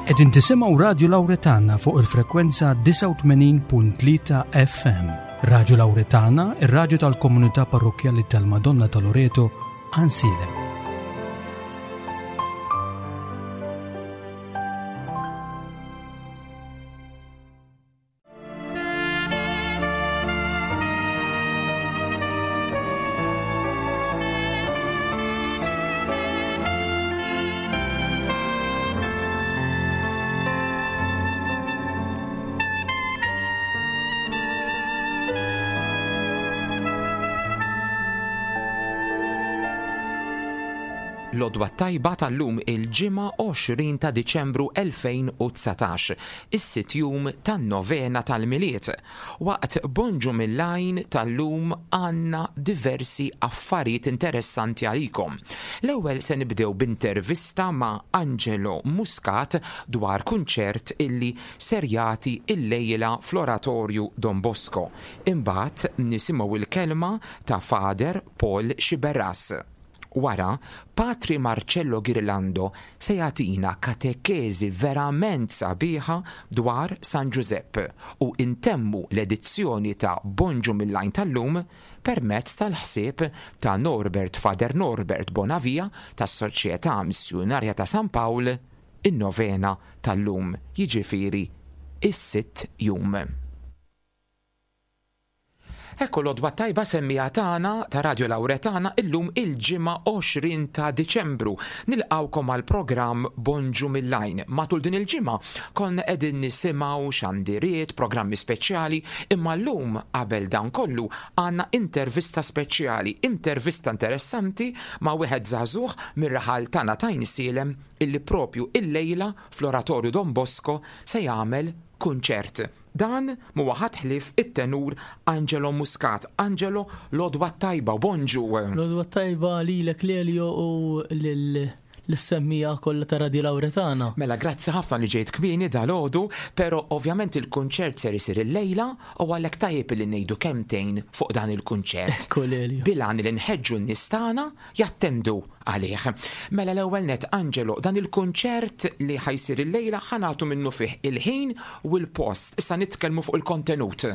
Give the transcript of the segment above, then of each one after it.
Qegħdin tisimgħu Radju Lawretana fuq il-frekwenza 89.3 FM. Radju Lawretana, ir-radju tal-komunità parrokkjali tal-Madonna ta' Loreto, Ansilem. L-għodwa t-tajba tal-lum il-Ġimgħa 20 ta' Diċembru 2019, is-sitt jum tan-Novena tal-Milied. Waqt Bonġu mill-Għajn tal-lum għandna diversi affarijiet interessanti għalikom. L-ewwel se nibdew b'intervista ma' Angelo Muscat dwar kunċert illi ser jagħti illejla fl-Oratorju Don Bosco. Imbagħad nisimgħu l-kelma ta' Father Paul Sciberras. Wara, Patri Marcello Ghirlando se jagħtina katekeżi verament sabiħa dwar San Ġużepp u ntemmu l-edizzjoni ta' Bonġu mill-Għajn tal-lum permezz tal-ħsieb ta' Norbert Father Norbert Bonavia tas-Soċjetà Missjunarja ta' San Pawl, in-novena tal-lum, jiġifieri s-sitt jum. Ekku l-għodwa t-tajba semmiegħa tagħna ta' Radio Lauretana illum il-Ġimgħa 20 ta' Diċembru. Nilqgħukom għall-programm Bonġu mill-Għajn. Matul din il-ġimgħa konna qegħdin nisimgħu xandiriet, programmi speċjali, imma llum qabel dan kollu għandna intervista speċjali, intervista interessanti ma' wieħed żagħżugħ mir-raħal tagħna t'Għajnsielem illi propju illejla fl-Oratorju Don Bosco se jagħmel kunċert. Dan m'huwa ħadd ħlief it-tenur Angelo Muscat. Angelo, l-għodwa t-tajba u bonġu! L-għodwa t-tajba lilek Lelio u lis-semmiegħa kollha ta' Radio Lauretana. Mela grazzi ħafna li ġejt kmieni dalgħodu, però ovvjament il-kunċert ser isir illejla u għalhekk tajjeb li ngħidu kelmtejn fuq dan il-kunċert. Ekku Lelio. Bil-għan li nħeġġu n-nies tagħna jattendu għalih. Mela l-ewwel nett, Angelo, dan il-kunċert li ħa jsir illejla ħa nagħtu minnufih il-ħin u l-post. Issa nitkellmu fuq il-kontenut.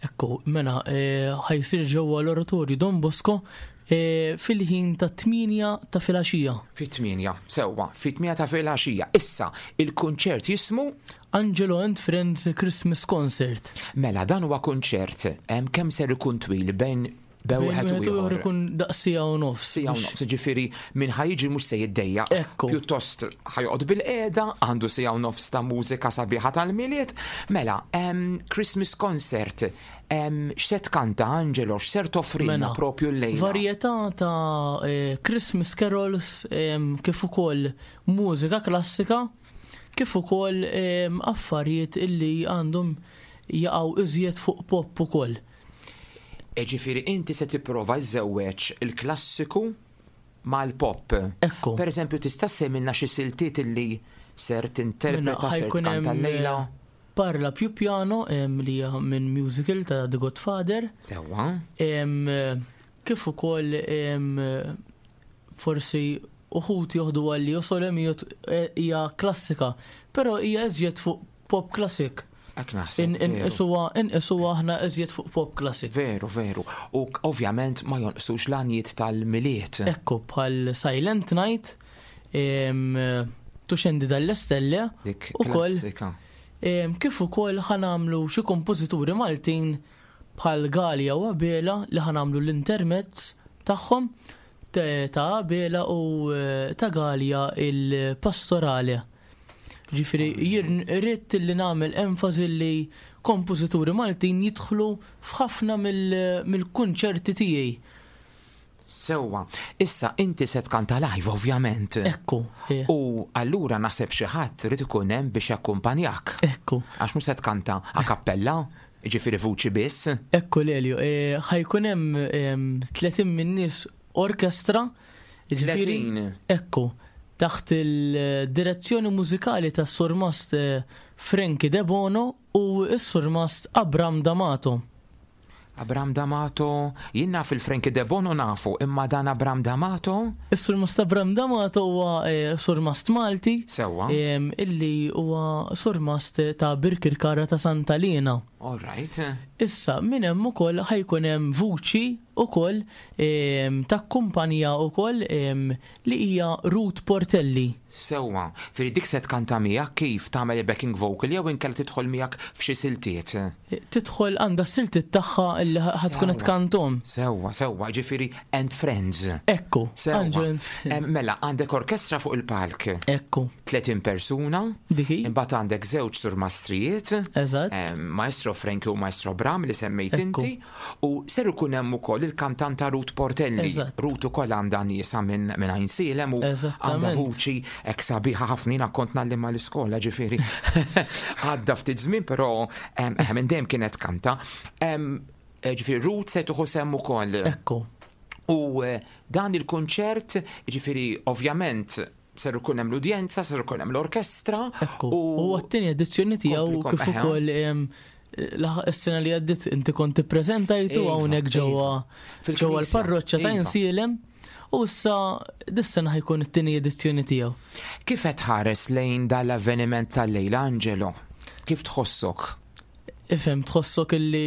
Ekku, mela, ħa jsir ġewwa l-Oratorju Don Bosco fil-ħin tat-tmienja ta' filgħaxija. Fit-tmienja, sewwa, fit-tmienja ta' filgħaxija. Issa, il-kunċert jismu? Angelo and Friends Christmas Concert. Mela, dan huwa kunċert, kemm ser ikun twil bejn Bejn wieħed u ieħor ikun daqs siegħa u nofs. Siegħa u nofs, jiġifieri min ħa jiġi mhux se jiddejjaq. Ekku. Pjuttost ħa joqgħod bilqiegħda, għandu siegħa u nofs ta' mużika sabiħa tal-Milied. Mela, Christmas concert, x'se tkanta Angelo, x'ser toffrilna mela, propju llejla? Varjetà ta' eh, Christmas carols kif ukoll mużika klassika, kif ukoll affarijiet illi għandhom jaqgħu iżjed fuq pop ukoll. Ġifieri inti se tipprova żżewweġ il-klassiku mal-pop. Ekku. Per eżempju, tista' ssemmilna xi siltiet illi ser tinterpreta, ser tkanta llejla? Eh, Parla più piano li hija minn musical ta' The Godfather. Sewwa. Kif ukoll forsi uħud joħdu għalli Sole Mio eh, hija klassika, però hija iżjed fuq pop classic. Hekk naħseb. Inqisuha inqisuha aħna iżjed fuq pop classic. Veru, veru. U ovvjament ma jonqsux l-għanjiet tal-Milied. Ekku bħal Silent Night, Tu scendi dalle stelle. Dik klassika. Kif ukoll ħa nagħmlu xi kompożituri Maltin bħal Galea u Abela li ħa nagħmlu l-intermezz tagħhom ta' Abela u eh, ta' Galea il-pastorale. Ġifieri jien ridt li nagħmel enfasi li kompożituri Maltin jidħlu f'ħafna mill-kunċerti tiegħi. Sewwa. Issa inti se tkanta live ovvjament. Ekku. Eh. U allura naħseb xi ħadd irid ikun hemm biex jakkumpanjak. Ekku. Għax mhux se tkanta a cappella, ġifieri vuċi biss. Ekku Lelio, eh, ħajkun hemm 30 min-nies orkestra. Ġifieri, ekku, taħt il-direzzjoni mużikali tas-surmast eh, Frankie Debono u s-surmast Abram D'Amato. Abram D'Amato, jien naf il-Frankie Debono nafu, imma dan Abram D'Amato? Is-Surmast Abram D'Amato huwa eh, surmast Malti. Sewwa. Illi huwa surmast ta' Birkirkara ta' Santa Liena. All right. Issa, minn hemm ukoll ħajkun hemm vuċi ukoll takkumpanja ukoll li hija Ruth Portelli. Sewwa. Fieri dik se tkanta miegħek kif? Tagħmel il-backing vocal jew inkella tidħol miegħek f'xi siltiet? Tidħol għandha s-siltiet tagħha li ħa tkun qed tkanthom. Sewwa, sewwa, ġifieri and friends. Ekku. Sewwa. Angel and friends. Mela, għandek orkestra fuq il-palk. Ekku. 30 persuna. Dik hi. Imbagħad għandek żewġ surmastrijiet. Eżatt. Maestro Frankie u Maestro Bram li semmejt inti. U ser ikun hemm ukoll il-kantanta Ruth Portelli. Ruth ukoll għandha niesha minn Għajnsielem u għandha vuċi hekk sabiħa ħafna jiena kont ngħallimha l-iskola ġifieri. Għadda ftit żmien però minn dejjem kienet kanta. Ġifieri Ruth se tieħu sehem ukoll. Ekku. U eh, dan il-kunċert, ġifieri ovvjament ser ikun hemm l-udjenza, ser ikun hemm l-orkestra. Ekku. U għat-tieni edizzjoni tiegħu kif ukoll is-sena li għaddit inti kont tippreżentajtu iva, hawnhekk ġewwa iva. ġewwa l-parroċċa ta' iva. Insielem. U issa dis-sena ħajkun it-tieni edizzjoni tiegħu. Kif qed tħares lejn dal-avveniment tal-lejla, Angelo? Kif tħossok? Ifhem, tħossok illi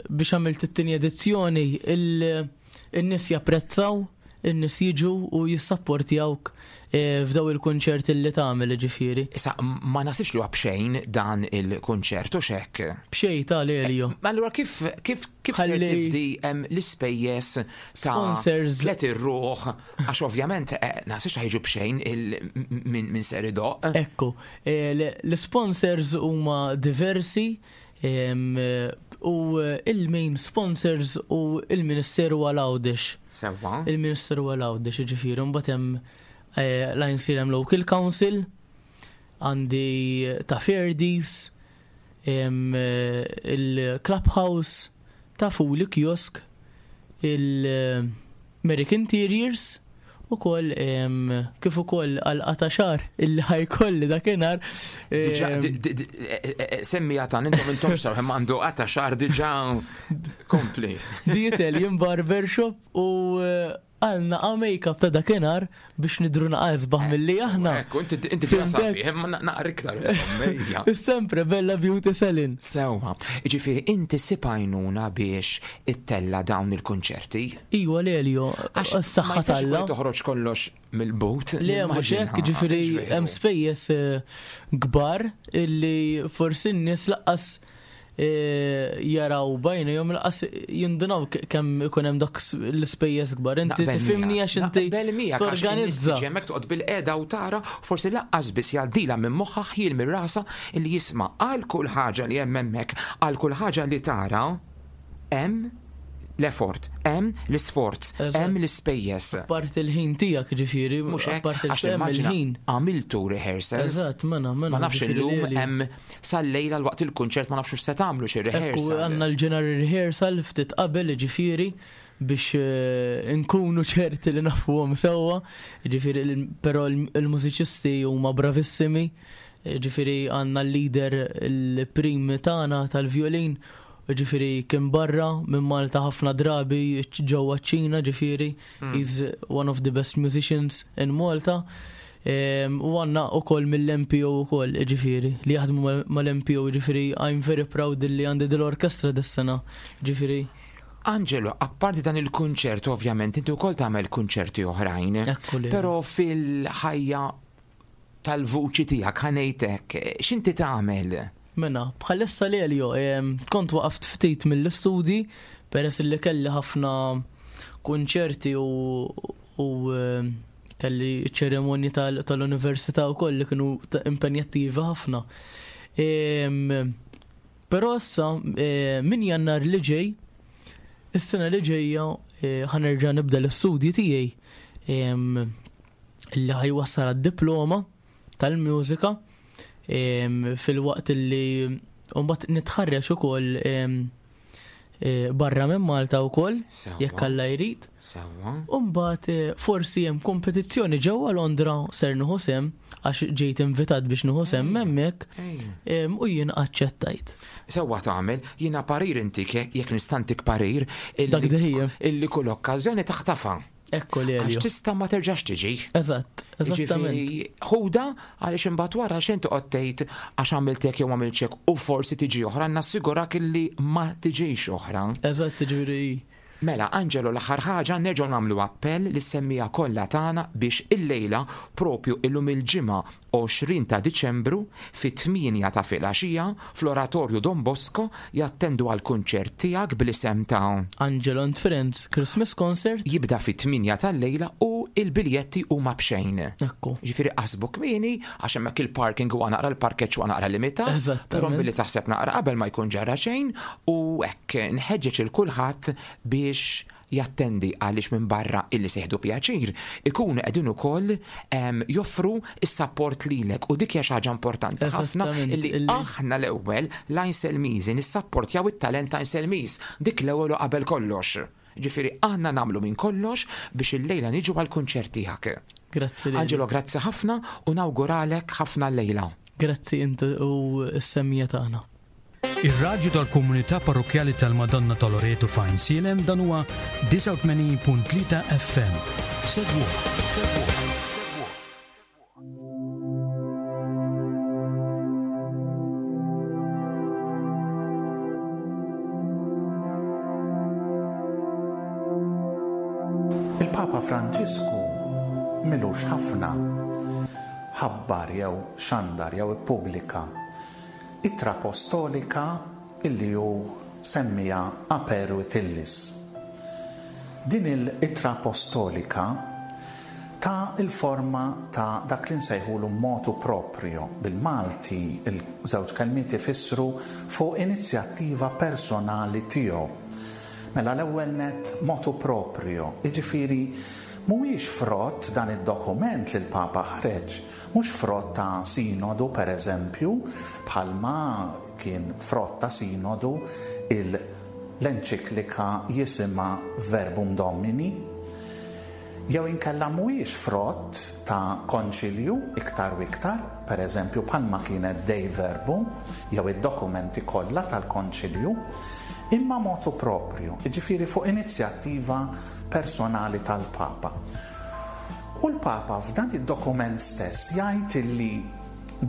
biex għamilt it-tieni edizzjoni il-nies japprezzaw in-nies jiġu u jissapportjawk eh, f'daw il-kunċerti li tagħmel ġifieri. Issa ma nasibx li huwa b'xejn dan il-kunċert u xek. B'xejn ta' Lelio. Eh, allura kif kif kif se tifdi l-ispejjeż ta' sponsors tlet ir-ruħ għax ovvjament eh, naħsibx ħajġu b'xejn minn ser idoq. Ekku, l-sponsors huma diversi U il-main sponsors u il-Ministeru għal Għawdex. Sewwa. Il-Ministeru għal Għawdex, jiġifieri mbagħad hemm eh, l-Għajnsielem Local Council, għandi ta' Ferdis, eh, il-Clubhouse, ta' Fuli Kiosk, il-Merrick Interiors, ukoll kif ukoll għal qata xar illi ħajkolli dakinhar. Diġà e, semmi għatan intom intom xar hemm għandu qata xar diġà kompli. The Italian Barbershop u eh, għal naqa make-up ta' dakinhar biex nidru naqa isbaħ milli aħna. Ekku, inti inti sabiħ, imma naqra iktar insomma. Sempre Bella Beauty Salon. Sewwa, jiġifieri inti ssib għajnuna biex ittella' dawn il-kunċerti. Iwa Lelio, s-saħħa t'Alla. Toħroġ kollox mill-but. Le mhux hekk, ġifieri hemm spejjeż eh, kbar illi forsi n-nies laqqas eh, jaraw bajnejhom laqas jindunaw kemm ikun hemm dak l-ispejjeż kbar. Inti tifhimni għax inti torganizza. Hemmhekk toqgħod bil-qiegħda u tara forsi laqqas biss jgħaddilha minn moħħha ħjiel minn rasha illi jisma' għal kull ħaġa li hemm hemmhekk, għal kull ħaġa li tara Hemm l-effort, hemm l-isforz, hemm l-ispejjeż. Apparti l-ħin tiegħek ġifieri, mhux hekk, għax immaġina għamiltu rehearsals. Eżatt, mela, mela. Ma nafx illum hemm sal-lejla l-waqt il-kunċert ma nafx se tagħmlu xi rehearsal. Għandna l-ġeneral rehearsal ftit qabel ġifieri biex eh, nkunu ċerti li nafuhom sewwa, ġifieri però l-mużiċisti huma bravissimi, ġifieri għandna l-leader il-prim tagħna tal-violin Ġifieri kien barra minn Malta ħafna drabi ġewwa ċ-Ċina ġifieri hmm. he's one of the best musicians in Malta. U għanna u koll mill-MPO u koll, ġifiri, li jaħdmu mal-MPO, ġifiri, I'm very proud li għandi dil-orkestra dis-sena, ġifiri. Angelo, apparti dan il-kunċert, ovvjament, inti wkoll tagħmel kunċerti oħrajn. Però fil-ħajja tal-vuċi tiegħek ħa ngħid hekk, x'inti tagħmel? Mela, bħalissa Lelio, kont waqaft ftit mill-istudji peress li kelli ħafna kunċerti u, u kelli ċerimonji tal-università u koll li kienu impenjattivi ħafna. Però issa minn jannar li ġej, is-sena li ġejja ħanerġa' nibda l-istudji tiegħi li ħajwassal għad-diploma tal-mużika filwaqt li mbagħad nitħarreġ ukoll Barra minn Malta wkoll, jekk Alla jrid. Sewwa. U mbagħad eh, forsi hemm kompetizzjoni ġewwa Londra ser nieħu sehem għax ġejt invitat biex nieħu sehem hemmhekk u jien aċċettajt. Sewwa tagħmel, jiena parir intik jekk nistantik parir illi kull okkażjoni taħtafa. Ekku li Għax tista' ma terġax tiġi. Eżatt, eżattament. Ħuda għaliex imbagħad wara xejn toqgħod tgħid għax għamilt hekk jew għamilt hekk u forsi tiġi oħra nassigurak illi ma tiġix oħra. Eżatt, ġifieri. Mela, Angelo, l-aħħar ħaġa nerġgħu nagħmlu appell lis-semmiegħa kollha tagħna biex illejla propju illum il-Ġimgħa 20 ta' Diċembru, fit-tmienja ta' filgħaxija, fl-Oratorju Don Bosco, jattendu għall-kunċert tiegħek bl-isem ta'. Angelo and Friends Christmas Concert. Jibda fit-tmienja tal-lejla u l-biljetti huma b'xejn. Ekku. Ġifieri qasbu kmieni għax hemmhekk il-parking huwa naqra l-parkeġġ huwa naqra limitat. Eżattament. Però billi taħseb naqra qabel ma jkun ġara xejn u hekk nħeġġeġ il kulħadd biex jattendi għaliex minbarra illi se jieħdu pjaċir, ikunu qegħdin ukoll joffru s-sapport lilek u dik hija xi ħaġa importanti ħafna illi aħna l-ewwel l-Għajnselmiżi nissapportjaw it-talent Għajnselmiż, dik l-ewwel u qabel kollox. Ġifieri aħna nagħmlu minn kollox biex illejla niġu għall-kunċert tiegħek. Grazzi lilek. Angelo grazzi ħafna u nawguralek ħafna llejla. Grazzi inti u s-semmiegħa tagħna. Ir-radju tal-Komunità Parrokkjali tal-Madonna ta' Loreto f'Għajnsielem dan huwa 89.3 FM. Segwuh. Il-Papa Franġisku m'ilux ħafna ħabbar jew xandar jew ippubblika Ittra Apostolika illi hu semmiha Aperuit Illis. Din il-Ittra Apostolika ta l-forma ta' dak li nsejħulu motu proprio, bil-Malti l-żewġ kelmiet ifissru fuq inizjattiva personali tiegħu. Mela l-ewwel nett motu proprio, jiġifieri mhuwiex frott dan id-dokument li l-Papa ħareġ, Mhux frott ta' sinodu, per eżempju, bħalma kien frott ta' sinodu il l-enċiklika jisimha Verbum Domini. Jew inkella mhuwiex frott ta' konċilju iktar u iktar, per eżempju bħalma kienet Dei Verbum jew id-dokumenti kollha tal-konċilju, imma motu proprio, jiġifieri fuq inizjattiva personali tal-Papa. U l-Papa f'dan id-dokument stess jgħid illi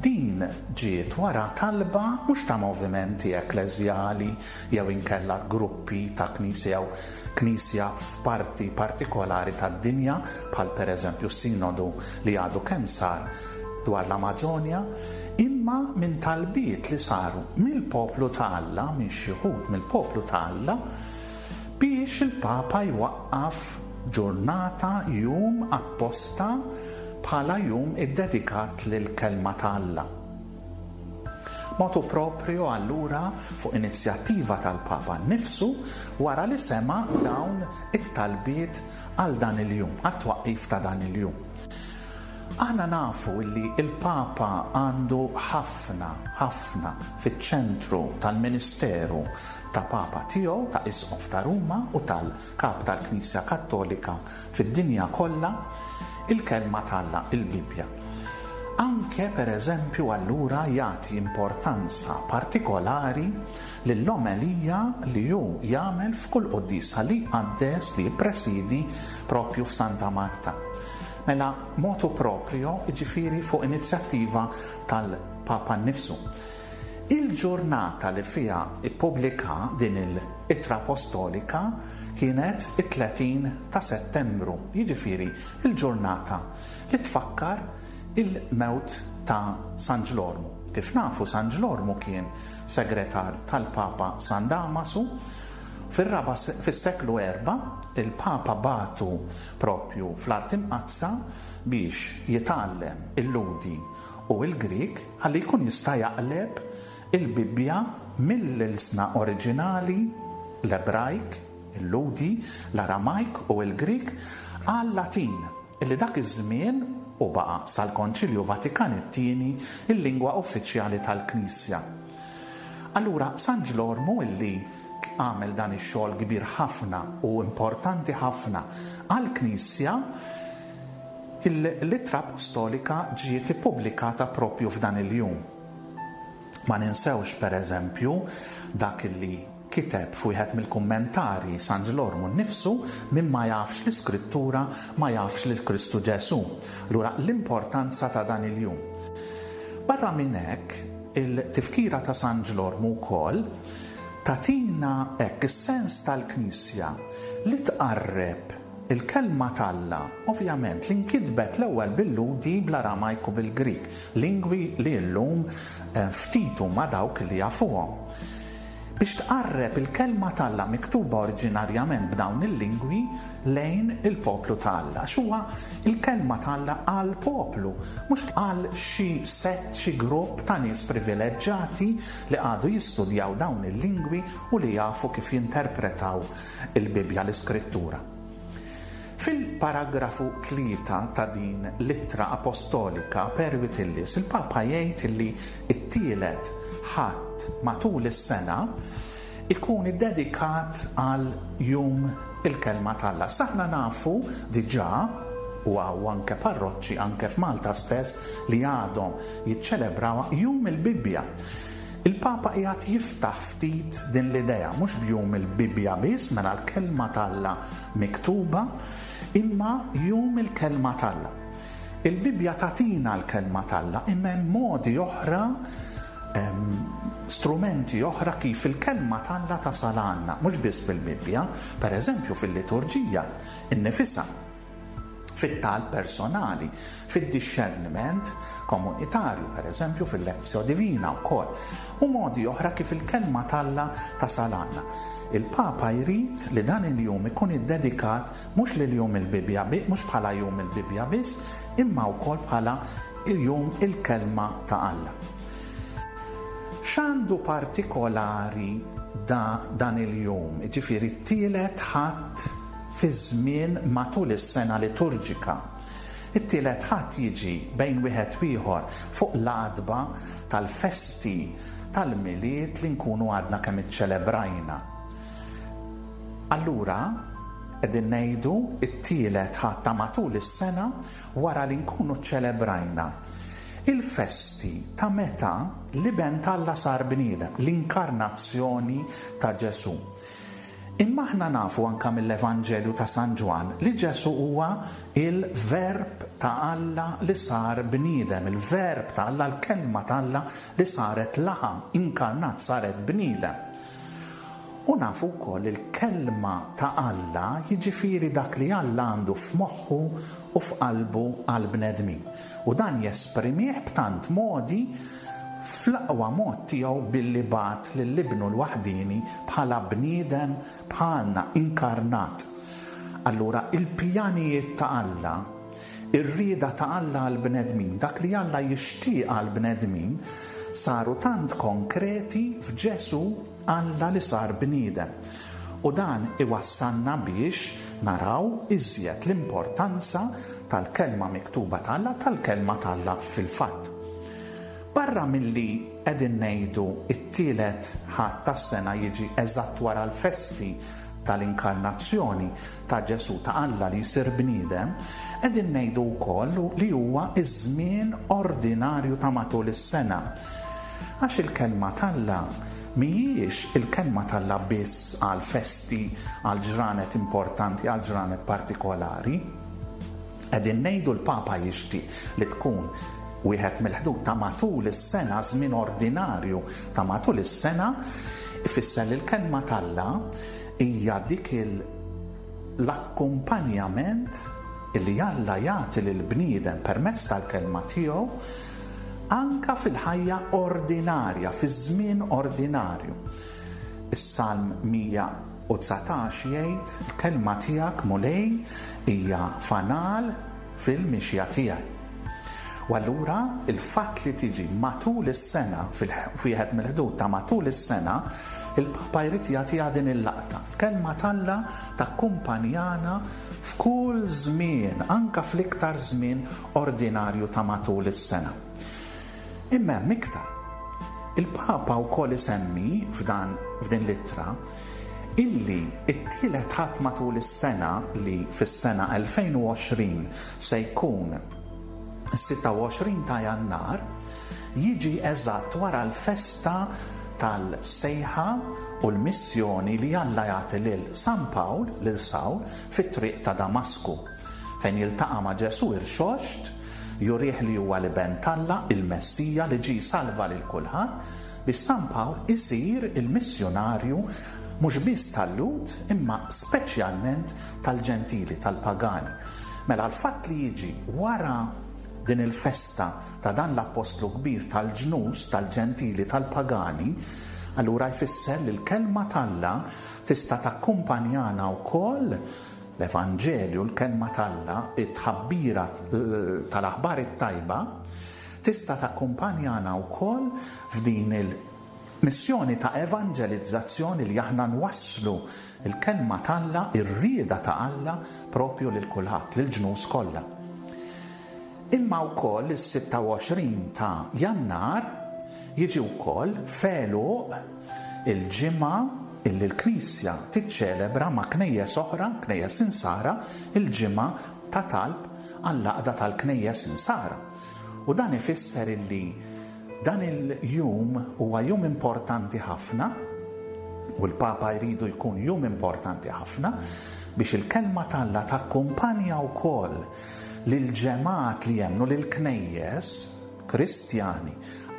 din ġiet wara talba mhux ta' movimenti ekkleżjali jew inkella gruppi ta' knisja jew knisja f'parti partikolari tad-dinja bħal pereżempju s-sinodu li għadu kemm sar dwar l-Amażonja, imma minn talbiet li saru mill-poplu ta' Alla, minn xi wħud mill-poplu ta' Alla, Biex il-Papa jwaqqaf ġurnata, jum apposta bħala jum iddedikat lill-Kelma ta' Alla. Motu proprio allura fuq inizjattiva tal-Papa nnifsu wara li sema' dawn it-talbiet għal dan il-jum, għat-twaqqif ta' dan il-jum. Aħna nafu illi l-Papa għandu ħafna, ħafna fiċ-ċentru tal-ministeru ta' Papa tiegħu, ta' Isqof ta' Ruma u tal-Kap tal-Knisja Kattolika fid-dinja kollha, il-Kelma t'Alla, il-Bibbja. Anke, per eżempju, allura jagħti importanza partikolari lill-omelija li hu jagħmel f'kull quddiesa li jqaddes, li jippresiedi propju f'Santa Marta. Mela, motu proprio, jiġifieri fuq inizjattiva tal-Papa nnifsu. Il-ġurnata li fiha ppubblika din il-Ittra Apostolika kienet it-30 ta' Settembru, jiġifieri l-ġurnata li tfakkar il-mewt ta' San Ġlormu. Kif nafu San Ġlormu kien segretar tal-Papa San Damasu. Fir-raba' fis-seklu erbgħa il-Papa bagħtu propju fl-Art Imqaddsa biex jitgħallem il-Lhudi u l-Grieg ħalli jkun jista' jaqleb il-Bibbja mill-ilsna oriġinali, l-Ebrajk, il-Lhudi, l-Aramajk u l-Grieg, għal-Latin, li dak iż-żmien, u baqa' sal-Konċilju Vatikan it-Tieni, il-lingwa uffiċjali tal-Knisja. Allura, San Ġlormu, illi għamel dan ix-xogħol kbir ħafna u importanti ħafna għall-Knisja, l-Ittra Apostolika ġiet ippubblikata propju f'dan il-jum. Ma ninsewx, per eżempju, dak li kiteb f'wieħed mill-kummentarji San Ġlormu nnifsu, min ma jafx l-Iskrittura ma jafx lil Kristu Ġesù. Allura l-importanza ta' dan il-jum. Barra minn hekk, il-tifkira ta' San Ġlormu wkoll tagħtina hekk is-sens tal-Knisja li tqarreb il-Kelma t'Alla, ovvjament li nkitbet l-ewwel bil-Lhudi, bl-Aramajk u bil-Grieg, lingwi li llum ftit huma dawk li jafuhom. Biex tqarreb il-Kelma t'Alla miktuba oriġinarjament b'dawn il-lingwi lejn il-poplu ta' Alla. Għax huwa l-Kelma t'Alla għall-poplu, mhux għal xi sett, xi grupp ta' nies privileġġati li qagħdu jistudjaw dawn il-lingwi u li jafu kif jinterpretaw il-Bibbja, l-Iskrittura. Fil-paragrafu 3 ta' din l-ittra apostolika per Wittillis, il-Papa jgħid li t-tielet Ħadd matul is-sena ikun iddedikat għal Jum il-Kelma t'Alla. Issa aħna nafu diġà, u hawn anke parroċċi anke f'Malta stess li għadhom jiċċelebrawha, Jum il-Bibbja. Il-Papa qiegħed jiftaħ ftit din l-idea, mhux b'Jum il-Bibbja biss, mela l-Kelma t'Alla miktuba, imma Jum il-Kelma t'Alla. Il-Bibbja tagħtina l-Kelma t'Alla, imma hemm modi oħra, strumenti oħra kif il-Kelma t'Alla tasal għandna, mhux biss bil-Bibbja, pereżempju fil-liturġija nnifisha. fit-talb personali, fid-dixxerniment komunitarju, pereżempju fil-Lectio Divina wkoll, u modi oħra kif il-Kelma t'Alla tasal għandna. Il-Papa jrid li dan il-jum ikun iddedikat mhux lil Jum il-Bibbja mhux bħala Jum il-Bibbja biss, imma wkoll bħala Jum il-Kelma ta' Alla. X'għandu partikolari da dan il-jum, jiġifieri t-tielet Ħadd fiż-żmien matul is-sena liturġika. It-tielet Ħadd jiġi bejn wieħed u ieħor fuq l-għatba tal-festi tal-Milied li nkunu għadna kemm iċċelebrajna. Allura, qegħdin ngħidu t-tielet Ħadd ta' matul is-sena wara li nkunu ċċelebrajna il-festi ta' meta l-Iben t'Alla sar bniedem, l-inkarnazzjoni ta' Ġesù. Imma aħna nafu anke mill-Evanġelju ta' San Ġwann li Ġesù huwa il-Verb ta' Alla li sar bniedem, il-Verb ta' Alla, l-Kelma ta' Alla li saret laħam, inkarnat, saret bniedem. U nafu wkoll li l-Kelma ta' Alla jiġifieri dak li Alla għandu f'moħħu u f'qalbu għall-bnedmin. U dan jesprimih b'tant modi fl-aqwa mod tiegħu billi bagħat lil Ibnu l-waħdieni bħala bniedem bħalna, inkarnat. Allura il-pjanijiet ta' Alla, ir-rieda ta' Alla għall-bnedmin, dak li Alla jixtieq għall-bnedmin, saru tant konkreti f'Ġesù Alla li sar bniedem. U dan iwassalna biex naraw iżjed l-importanza tal-Kelma miktuba ta' Alla, tal-Kelma ta' Alla fil-fatt. Barra milli qegħdin ngħidu t-tielet Ħadd tas-sena jiġi eżatt wara l-festi tal-Inkarnazzjoni ta' Ġesù, ta' Alla li jsir bniedem, qegħdin ngħidu wkoll li huwa ż-żmien ordinarju ta' matul is-sena. Għax il-Kelma t'Alla mhijiex il-Kelma t'Alla biss għal festi, għal ġranet importanti, għal ġranet partikolari. Qegħdin ngħidu l-Papa jixtieq li tkun wieħed mill-ħdud ta' matul is-sena, żmien ordinarju ta' matul is-sena, ifisser li l-Kelma t'Alla hija dik l-akkumpanjament li Alla jagħti lill-bniedem permezz tal-Kelma tiegħu anka fil-ħajja ordinarja, fiż-żmien ordinarju. Is-Salm 119 jgħid, Il-kelma tiegħek, Mulej, hija fanal fil-mixja tiegħi. U allura il-fatt li tiġi matul is-sena, f'wieħed mill-ħdud ta' matul is-sena, il-Papa jrid jagħtiha din il-laqta. Il-kelma t'Alla takkumpanjana f'kull żmien, anke fl-iktar żmien ordinarju ta' matul is-sena. Imma hemm iktar. Il-Papa wkoll isemmi f'dan f'din l-ittra Illi t-tielet Ħadd matul is-sena li fis-sena 2020 se jkun is-26 ta' Jannar, jiġi eżatt wara l-festa tal-sejħa u l-missjoni li Alla jagħti lil San Pawl, lil Sawl, fit-triq ta' Damasku, fejn jiltaqa' ma' Ġesù irxoxt, jurih li huwa l-Iben t'Alla, il-Messija li ġie jsalva lil kulħadd, biex San Pawl isir il-missjunarju mhux biss tal-Lhud imma speċjalment tal-Ġentili, tal-pagani. Mela l-fatt li jiġi wara din il-festa ta' dan l-appostlu kbir tal-ġnus, tal-Ġentili, tal-pagani, allura jfisser li l-Kelma t'Alla tista' takkumpanjana wkoll l-Evanġelju, l-Kelma t'Alla, it-tħabbira tal-Aħbar it-Tajba, tista' takkumpanjana wkoll f'din il-missjoni ta' evanġelizzazzjoni li aħna nwasslu l-Kelma t'Alla, ir-rieda ta' Alla propju lil kulħadd, lill-ġnus kollha. Imma wkoll is-26 ta' Jannar jiġi wkoll f'għeluq il-ġimgħa illi l-Knisja tiċċelebra ma' knejjes oħra, knejjes Insara, il-ġimgħa ta' talb għall-għaqda tal-knejjes Insara. U dan ifisser illi dan il-jum huwa jum importanti ħafna u l-Papa jridu jkun jum importanti ħafna biex il-kelma t'Alla takkumpanja wkoll lill-ġemgħat li jemmnu lill-knejjes Kristjani,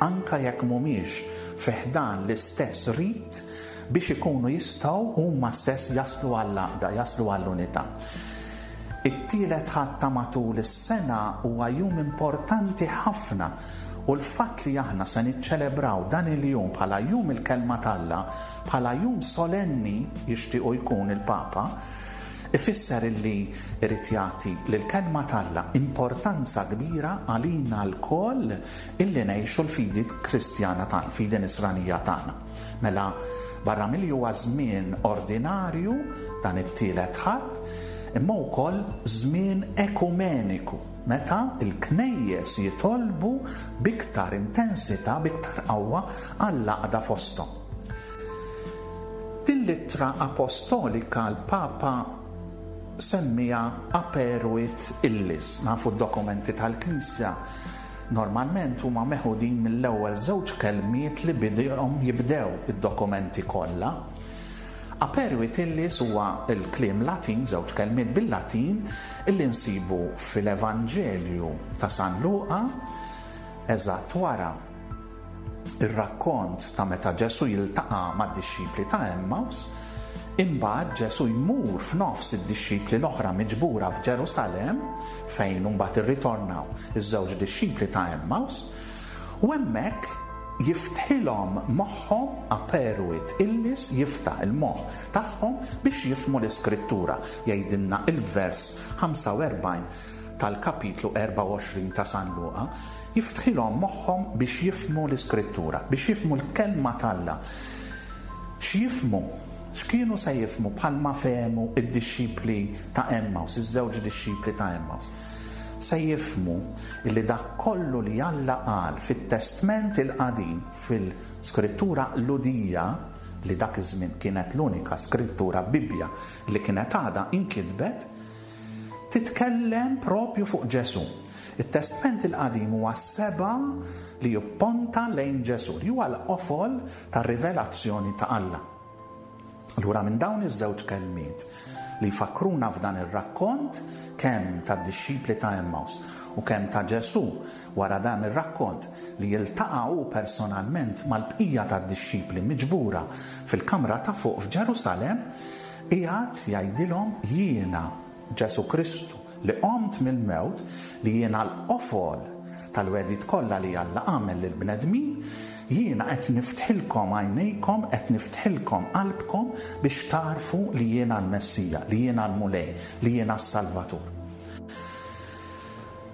anke jekk mhumiex fi ħdan l-istess rit, biex ikunu jistgħu huma stess jaslu għall-għaqda, jaslu għall-unità. It-tielet Ħadd ta' matul is-sena huwa jum importanti ħafna u l-fatt li aħna se niċċelebraw dan il-jum bħala Jum il-Kelma t'Alla, bħala jum solenni jixtiequ jkun il-Papa, ifisser illi jrid jagħti lill-Kelma t'Alla importanza kbira għalina lkoll illi ngħixu l-fidi Kristjana tagħna, l-fidi Nisranija tagħna. Mela, barra milli huwa żmien ordinarju dan it-tielet Ħadd, imma wkoll żmien ekumeniku, meta l-knejjes jitolbu b'iktar intensità, b'iktar qawwa għall-għaqda fosthom. Din l-ittra apostolika l-Papa semmiha Aperuit Illis. Nafu d-dokumenti tal-Knisja normalment huma meħudin mill-ewwel żewġ kelmiet li bihom jibdew id-dokumenti kollha. Aperuit Illis huwa l-kliem Latin, żewġ kelmiet bil-Latin, illi nsibu fil-Evanġelju ta' San Luqa, eżatt wara Ir-rakkont ta' meta Ġesù jiltaqa' mad-dixxipli ta' Għemmaws, imbagħad Ġesù jmur f'nofs id-dixxipli l-oħra miġbura f'Ġerusalemm, fejn imbagħad irritornaw iż-żewġ dixxipli ta' Għemmaws, u hemmhekk jiftħilhom moħħhom, aperuit illis, jiftaħ il-moħħ tagħhom biex jifhmu l-Iskrittura, jgħidilna l-vers 45 tal-kapitlu 24 ta' San Luqa, jiftħilhom moħħhom biex jifhmu l-Iskrittura, biex jifhmu l-Kelma t'Alla. X'jifhmu? X'kienu se jifhmu bħalma fehmu d-dixxipli ta' Għemmaws, iż-żewġ dixxipli ta' Għemmaws? Se jifhmu li dak kollu li Alla qal fit-Testment il-Qadim, fil-Skrittura Lhudija, li dak iż-żmien kienet l-unika skrittura Bibbja li kienet għadha inkitbet, Titkellem propju fuq Ġesù. It-Testment il-Qadim huwa s-sebgħa li jipponta lejn Ġesù, li huwa l-qofol tar-rivelazzjoni ta' Alla. Allura minn dawn iż-żewġ kelmiet li jfakkruna f'dan ir-rakkont kemm tad-dixxipli ta' Emmaus u kemm ta' Ġesù wara dan ir-rakkont li jiltaqa' hu personalment mal-bqija tad-dixxipli miġbura fil-kamra ta' fuq f'Ġerusalemm, Qiegħed jgħidilhom, Jiena, Ġesù Kristu, li qomt mill-mewt, li jiena l-qofol tal-wegħdiet kollha li Alla għamel lill-bnedmin, jiena qed niftħilkom għajnejkom, qed niftħilkom qalbkom biex tagħrfu li jiena l-Messija, li jiena l-Mulej, li jiena s-Salvatur.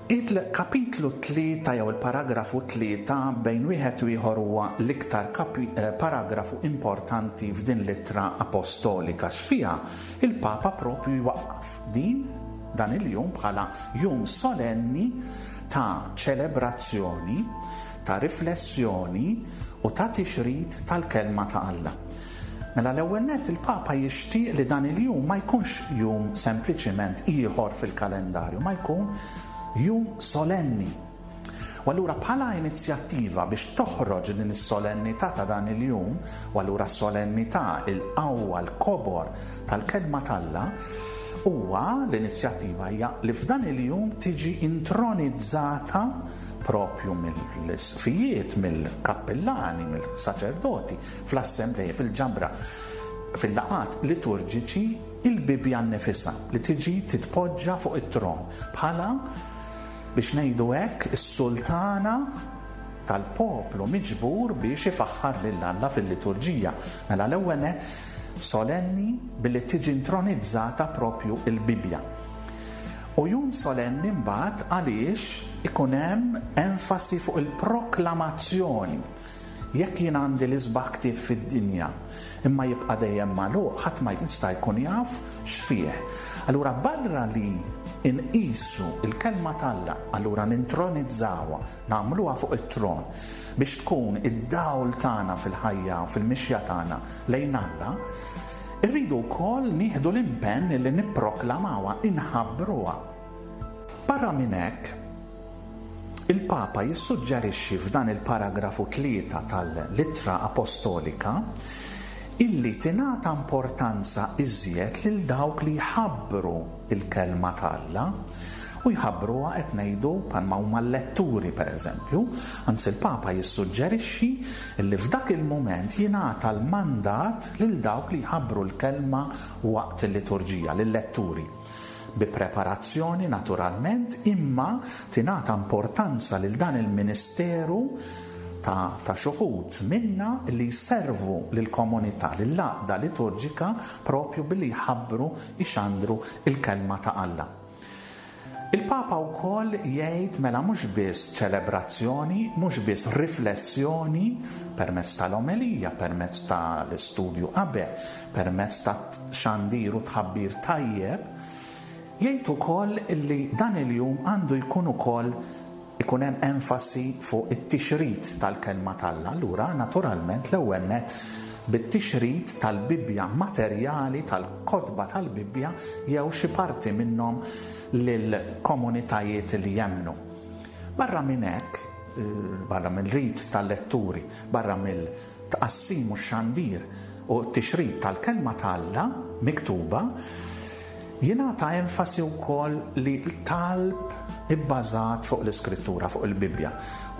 Il-kapitlu 3 jew il-paragrafu 3 bejn wieħed u ieħor huwa l-iktar paragrafu importanti f'din l-ittra apostolika għax fiha il-Papa propju jwaqqaf din dan il-jum bħala jum solenni ta' ċelebrazzjoni, ta' riflessjoni u ta' tixrid tal-Kelma ta' Alla. Mela l-ewwel nett il-Papa jixtieq li dan il-jum ma jkunx jum sempliċiment ieħor fil-kalendarju, ma jkun jum solenni. U allura bħala inizjattiva biex toħroġ din is-solennità ta' dan il-jum, u allura s-solennità, il-qawwa, l-kobor tal-Kelma t'Alla, huwa l-inizjattiva hija li f'dan il-jum tiġi intronizzata propju mill-isqfijiet, mill-kappillani, mill-saċerdoti, fl-assembleji, fil-ġabra, fil-laqgħat liturġiċi, il-Bibbja nnifisha li tiġi titpoġġa fuq it-tron bħala, biex ngħidu hekk, is-sultana tal-poplu miġbur biex ifaħħar lil Alla fil-liturġija. Mela l-ewwel nett solenni billi tiġi intronizzata propju l-Bibbja. U jum solenni mbagħad għaliex ikun hemm enfasi fuq il-proklamazzjoni. Jekk jien għandi l-isbaħ ktieb fid-dinja, imma jibqa' dejjem magħluq, ħadd ma jista' jkun jaf x'fih. Allura barra li nqisu l-Kelma t'Alla, allura nintronizzawha, nagħmluha fuq it-tron, biex tkun id-dawl tagħna fil-ħajja u fil-mixja tagħna lejn Alla, irridu wkoll nieħdu l-impenn li nipproklamawha, inħabbruha. Barra minn hekk, Il-Papa jissuġġerixxi f'dan il-paragrafu tlieta tal-Ittra Apostolika illi tingħata importanza iżjed lil dawk li jħabbru l-Kelma ta' Alla, u jħabbruha qed ngħidu bħalma huma l-letturi pereżempju, anzi l-Papa jissuġġerixxi illi f'dak il-mument jingħata l-mandat lil dawk li jħabbru l-Kelma waqt il-liturġija, lil-letturi. Bi preparazzjoni naturalment, imma tingħata importanza lil dan il-ministeru ta' ta' x'uħud minna li jservu lill-komunità, lill-għaqda liturġika propju billi jħabbru, jxandru l-Kelma ta' Alla. Il-Papa wkoll jgħid mela mhux biss ċelebrazzjoni, mhux biss riflessjoni permezz tal-omelija, permezz tal-istudju qabel, permezz ta' xandir u tħabbir tajjeb, jgħid ukoll li dan il-jum għandu jkun ukoll ikun hemm enfasi fuq it-tixrid tal-Kelma t'Alla. Allura, naturalment, l-ewwel nett bit-tixrid tal-Bibbja materjali, tal-kotba tal-Bibbja jew xi parti minnhom lill-komunitajiet li jemmnu. Barra minn hekk, barra mill-rit tal-letturi, barra mill tqassim u x-xandir u t-tixrid tal-Kelma ta' Alla miktuba, jingħata enfasi wkoll li talb ibbażat fuq l-Iskrittura, fuq il-Bibbja.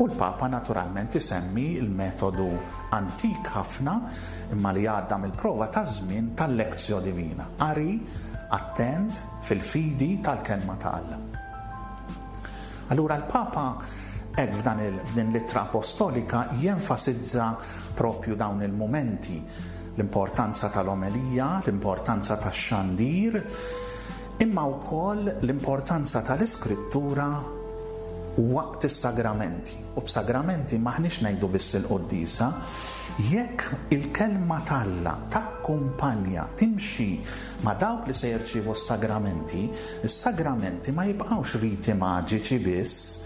U l-Papa naturalment isemmi l-metodu antik ħafna imma li għadda mill-prova taż-żmien tal-lectio divina, qari attent fil-fidi tal-Kelma ta' Alla. Allura l-Papa hekk f'dan il, f'din l-ittra apostolika jenfasizza propju dawn il-mumenti, l-importanza tal-omelija, l-importanza tax-xandir, imma wkoll l-importanza tal-Iskrittura waqt is-sagramenti. U b'sagramenti m'aħniex ngħidu biss il-quddiesa, jekk il-Kelma t'Alla takkumpanja, timxi ma' dawk li se jirċievu s-sagramenti, Is-sagramenti ma jibqgħux riti maġiċi biss,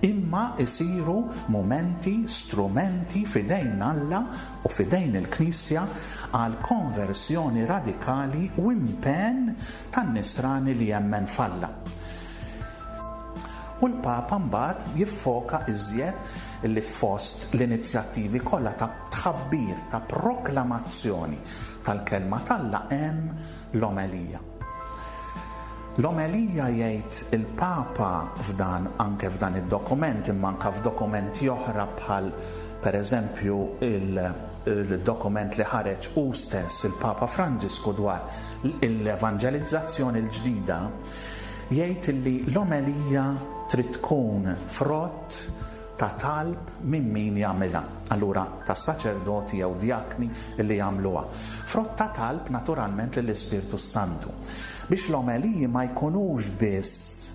imma jsiru mumenti, strumenti f'idejn Alla u f'idejn il-Knisja għal konversjoni radikali u impenn tan-nisrani li jemmen f'Alla. U l-Papa mbagħad jiffoka iżjed li fost l-inizjattivi kollha ta' tħabbir, ta' proklamazzjoni tal-Kelma t'Alla hemm l-omelija. L-omelija jgħid il-Papa f'dan anke f'dan id-dokument imma anke f'dokumenti oħra bħal per eżempju il-dokument li ħareġ hu stess il-Papa Franġisku dwar l-evanġelizzazzjoni l-ġdida, jgħid li l-omelija trid tkun frott ta' talb minn min jagħmilha, allura tas-saċerdoti jew djakni li jagħmluha. Frott ta' talb naturalment lill-Ispirtu s-Santu. Biex l-omeliji ma jkunux biss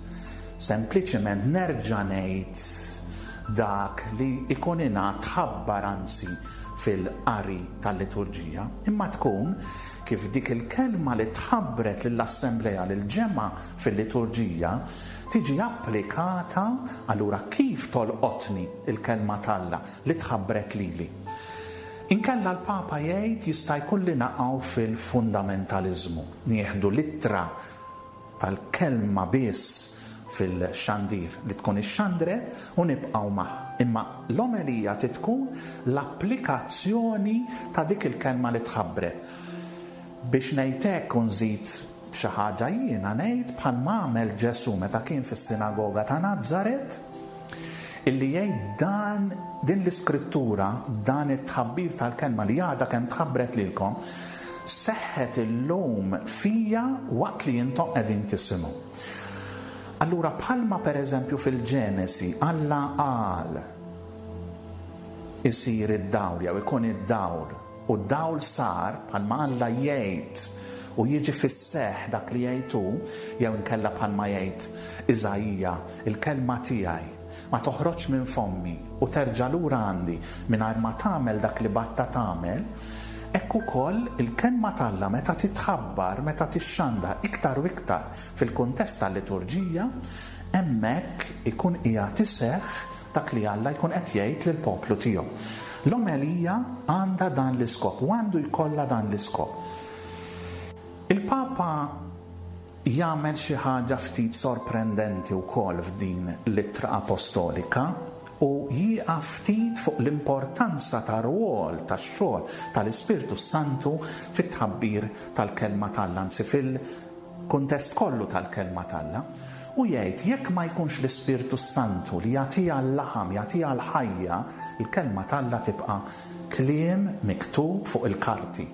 sempliċement nerġa' ngħid dak li jkun ingħad tħabbar anzi fil-qari tal-liturġija, imma tkun kif dik il-kelma li tħabbret lill-assemblea, lill-ġemgħa fil-liturġija, tiġi applikata, allura kif tolqotni l-Kelma t'Alla li tħabbret lili? Inkella l-Papa jgħid jista' jkun li naqgħu fil-fundamentaliżmu, nieħdu l-ittra tal-kelma biss fil-xandir li tkun ixxandret u nibqgħu magħha. Imma l-omelija trid tkun l-applikazzjoni ta' dik il-kelma li tħabbret. Biex ngħid hekk u nżid xi ħaġa jiena ngħid bħalma għamel Ġesù meta kien fis-sinagoga ta' Nazaret, illi jgħid dan din l-iskrittura, dan it-tħabbir tal-kelma li għadha kemm tħabbret lilkom, seħħet illum fija waqt li intom qegħdin tisimgħu. Allura bħalma pereżempju fil-Ġenesi Alla qal isir id-dawl jew ikun id-dawl U d-dawl sar, bħalma Alla jgħid u jiġi fis-seħħ dak li jgħid hu, jew inkella bħalma jgħid Iżaija, Il-kelma tiegħi ma toħroġx minn fommi u terġa' lura għandi mingħajr ma tagħmel dak li bgħattha tagħmel, hekk ukoll il-kelma t'Alla meta titħabbar, meta tixxandar iktar u iktar fil-kuntest tal-liturġija, hemmhekk ikun qiegħed iseħħ dak li Alla jkun qed jgħid lill-poplu tiegħu. L-omelija għandha dan l-iskop u għandu jkollha dan l-iskop. Il-Papa jagħmel xi ħaġa ftit sorprendenti wkoll f'din l-ittra apostolika u jieqaf ftit fuq l-importanza tar-rwol tax-xogħol tal-Ispirtu s-Santu fit-tħabbir tal-Kelma t'Alla, anzi fil kuntest kollu tal-Kelma t'Alla, u jgħid jekk ma jkunx l-Ispirtu s-Santu li jagħtiha l-laħam, jagħtiha l-ħajja, il-Kelma t'Alla tibqa' kliem miktub fuq il-karti.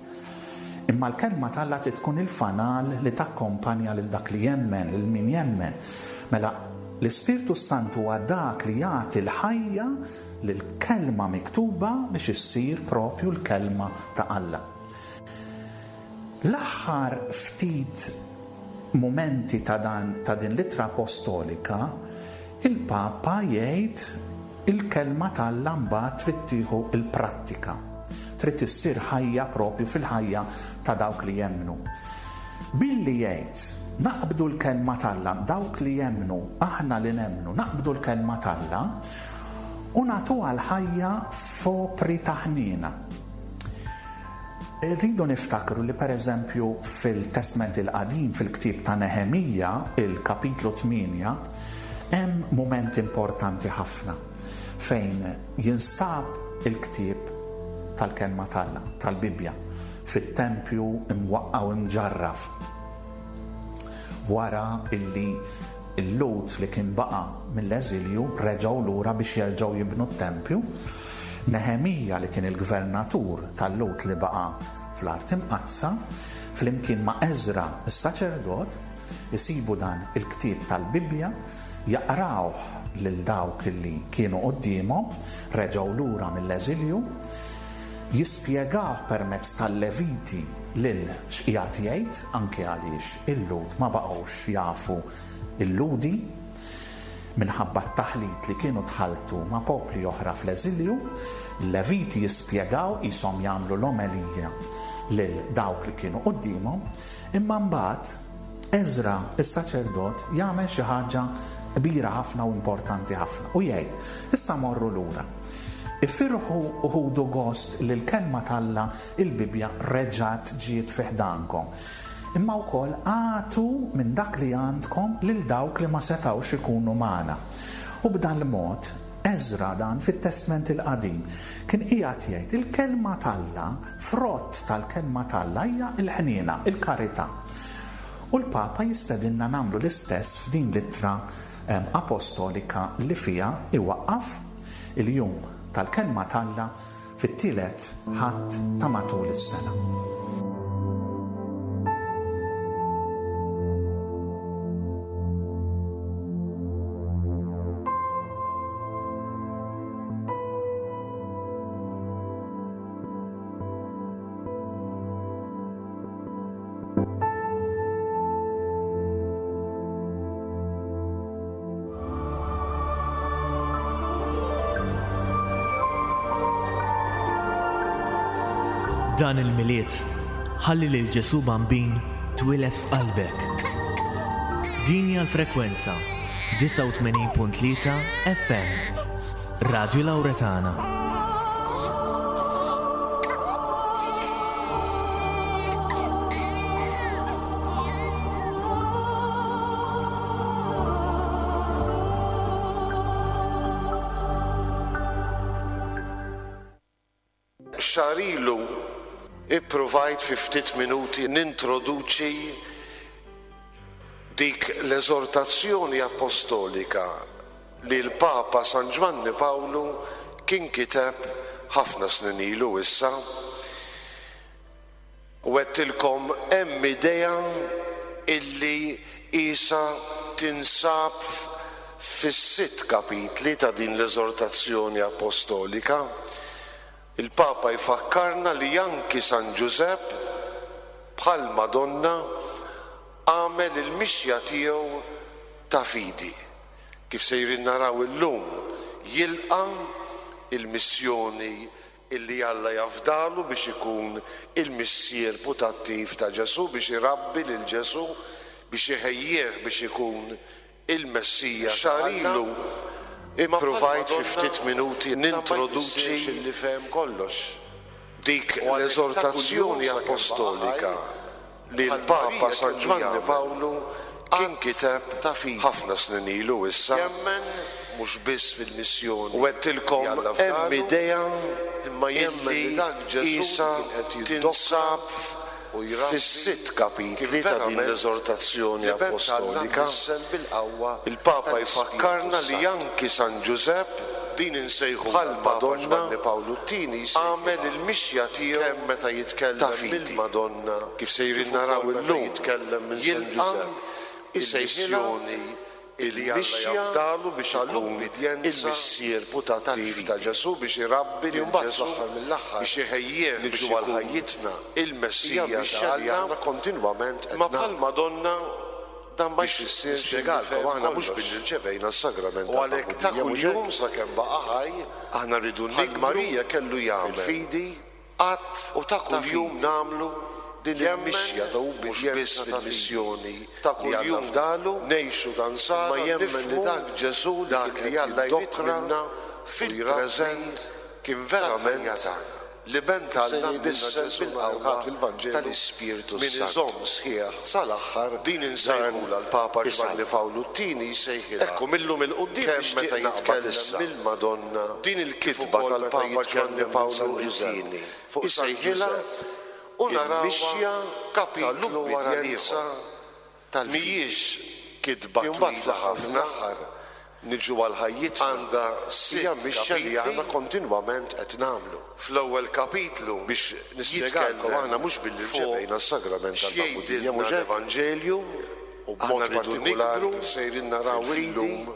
Imma l-Kelma t'Alla trid tkun il-fanal li takkompanja lil dak li jemmen, lil min jemmen. Mela, l-Ispirtu s-Santu huwa dak li jagħti l-ħajja lill-Kelma miktuba biex issir propju l-Kelma ta' Alla. L-aħħar ftit mumenti ta' dan ta' din l-ittra apostolika, il-Papa jgħid il-kelma t'Alla mbagħad trid tieħu l-prattika. Trid issir ħajja propju fil-ħajja ta' dawk li jemmnu. Billi jgħid, naqbdu l-kelma t'Alla, dawk li jemmnu, aħna li nemmnu, naqbdu l-kelma t'Alla u nagħtuha l-ħajja f'opri ta' ħniena. Irridu niftakru li pereżempju fil-Testment il-Qadim, fil-ktieb ta' Neħemija, il-kapitlu 8, hemm mument importanti ħafna fejn jinstab il-ktieb tal-Kelma t'Alla, tal-Bibbja, fit-tempju imwaqqa' u imġarraf. Wara illi l-Lhud li kien baqa' mill-eżilju reġgħu lura biex jerġgħu jibnu t-tempju, Neħemija li kien il-gvernatur tal-Lhud li baqa' fl-Art Imqaddsa, flimkien ma' Eżra s-saċerdot, isibu dan il-ktieb tal-Bibbja, jaqrawh lil dawk li kienu quddiemhom, reġgħu lura mill-eżilju, jispjegawh permezz tal-Leviti lil x'qiegħed jgħid, anke għaliex il-Lhud ma baqgħux jafu l-Lhudi minħabba t-taħlit li kienu tħalltu ma' popli oħra fl-eżilju. Il-Leviti jispjegaw qishom jagħmlu l-omelija lil dawk li kienu quddiemhom, imma mbagħad Eżra s-saċerdot jagħmel xi ħaġa kbira ħafna u importanti ħafna u jgħid, Issa morru lura. Ifirħu u ħudu gost li l-Kelma t'Alla, il-Bibbja, reġgħet ġiet fi ħdankom. Imma wkoll agħtu minn dak li għandkom lil dawk li ma setgħux ikunu magħna. U b'dan l-mod, Eżra dan fit-Testment il-Qadim kien qiegħed jgħid il-Kelma t'Alla, frott tal-Kelma t'Alla hija l-ħniena, il-karità. U l-Papa jistedinna nagħmlu l-istess f'din l-ittra apostolika li fiha iwaqqaf il-jum tal-Kelma t'Alla fit-tielet Ħadd ta' matul is-sena. Dan il-Milied, ħalli lil Ġesù Bambin twieled f'qalbek. Din hija l-frekwenza 89.3 FM. Radio Lauretana. Xahar ilu ippruvajt fi ftit minuti nintroduċi dik l-eżortazzjoni appostolika li l-Papa San Ġwanni Pawlu kien kiteb ħafna snin ilu issa. U għedtilkom hemm idea illi qisha tinsab fis-sitt kapitli ta' din l-eżortazzjoni appostolika. Il-Papa jfakkarna li anki San Ġużepp, bħall-Madonna, għamel il-mixja tiegħu ta' fidi. Kif sejrin naraw illum, jilqa' l-missjoni illi Alla jafdalu biex ikun il-missier putattiv ta' Ġesù, biex irabbi lil Ġesù, biex iħejjih biex ikun il-Messija ta' Xahar Alla. ilu Imma ippruvajt fi bħall-Madonna ftit minuti dan ma nintroduċi jfissirx illi fehem kollox. dik U għalhekk ta' kuljum l-eżortazzjoni sakemm baqa' ħaj, appostolika li bħal l-Papa Marija San kellu Ġwanni jagħmel Pawlu kien att kiteb ta' fidi. ħafna snin ilu issa. Jemmen mhux biss fil-missjoni U li għedtilkom Alla hemm fdalu, idea imma jemmen li illi dak Ġesù li qisha kien qed jiddokra tinsab u jrabbi fis-sitt kien kapitli ta' din verament l-eżortazzjoni l-Iben ta' Alla appostolika. mnissel bil-qawwa Il-Papa tal-Ispirtu jfakkarna li s-Santu. anki San Ġużepp, Din insejħulha l-Papa bħall-Madonna, Ġwanni Pawlu t-Tieni għamel jsejħilha il-mixja tiegħu kemm meta ta' jitkellem fidi. mill-Madonna Kif sejrin kif naraw ukoll meta illum, jitkellem minn San jilqa' Ġużepp isejħilha il-missjoni illi Alla il-mixja jafdalu biex ikun tal-ubbidjenza il-missier putattiv ta' tal-fidi. Ġesù biex irabbi Li lil mbagħad Ġesù fl-aħħar mill-aħħar biex iħejjih biex niġu għal ikun ħajjitna hija il-Messija ta' mixja li Alla, aħna kontinwament qed imma nagħmlu. bħall-Madonna Dan ma biex jfissirx illi nispjegalkom fehem aħna mhux kollox. billi rċevejna s-sagrament U għalhekk ta' tal-magħmudija mhux kuljum hekk? sakemm baqa' ħaj, Aħna rridu bħal nikbru Marija kellu jagħmel fil-fidi att u ta' ta' kuljum fidi. nagħmlu din Jemmen il-mixja ta' mhux biss ubbidjenza ta' fil-missjoni Ta' li Alla kuljum fdalu, ngħixu ta' imma nsara jemmen li nifhmu dak Ġesù li dak kien li qed Alla jrid jiddokra minna u jrabbi fil-preżent kien verament tal-ħajja tagħna. L-Iben ta' Kif se Alla jgħidilna mnissel Ġesù nhar bil-qawwa il-Ħadd fil-Vanġelu, tal-Ispirtu min s-Santu. iżomm sħiħ Sal-aħħar Din dan insejħulha l-Papa Ġwanni isalva. Pawlu t-Tieni jsejħilha Ekku millum il-quddiem kemm nixtieq meta naqbad jitkellem issa. mill-Madonna Din kif il-kitba ukoll meta tal-Papa Ġwanni jitkellem minn Pawlu San Ġużepp. t-Tieni Fuq San isejħilha Ġużepp u narawha il-mixja kapitlu wara tal-ubbidjenza l-ieħor. tal-fidi. Mhijiex kitba Li mbagħad twila fl-aħħar ħafna mill-aħħar niġu għal ħajjitna għandha hija sitt mixja li kapitli. aħna kontinwament qed nagħmlu. Fl-ewwel kapitlu Biex nispjegalkom jitkellem aħna mhux billi fuq rċevejna s-sagrament tal-magħmudija x'jgħidilna mhux hekk? l-Evanġelju U aħna b'mod rridu partikolari nikbru kif sejrin naraw fil-fidi illum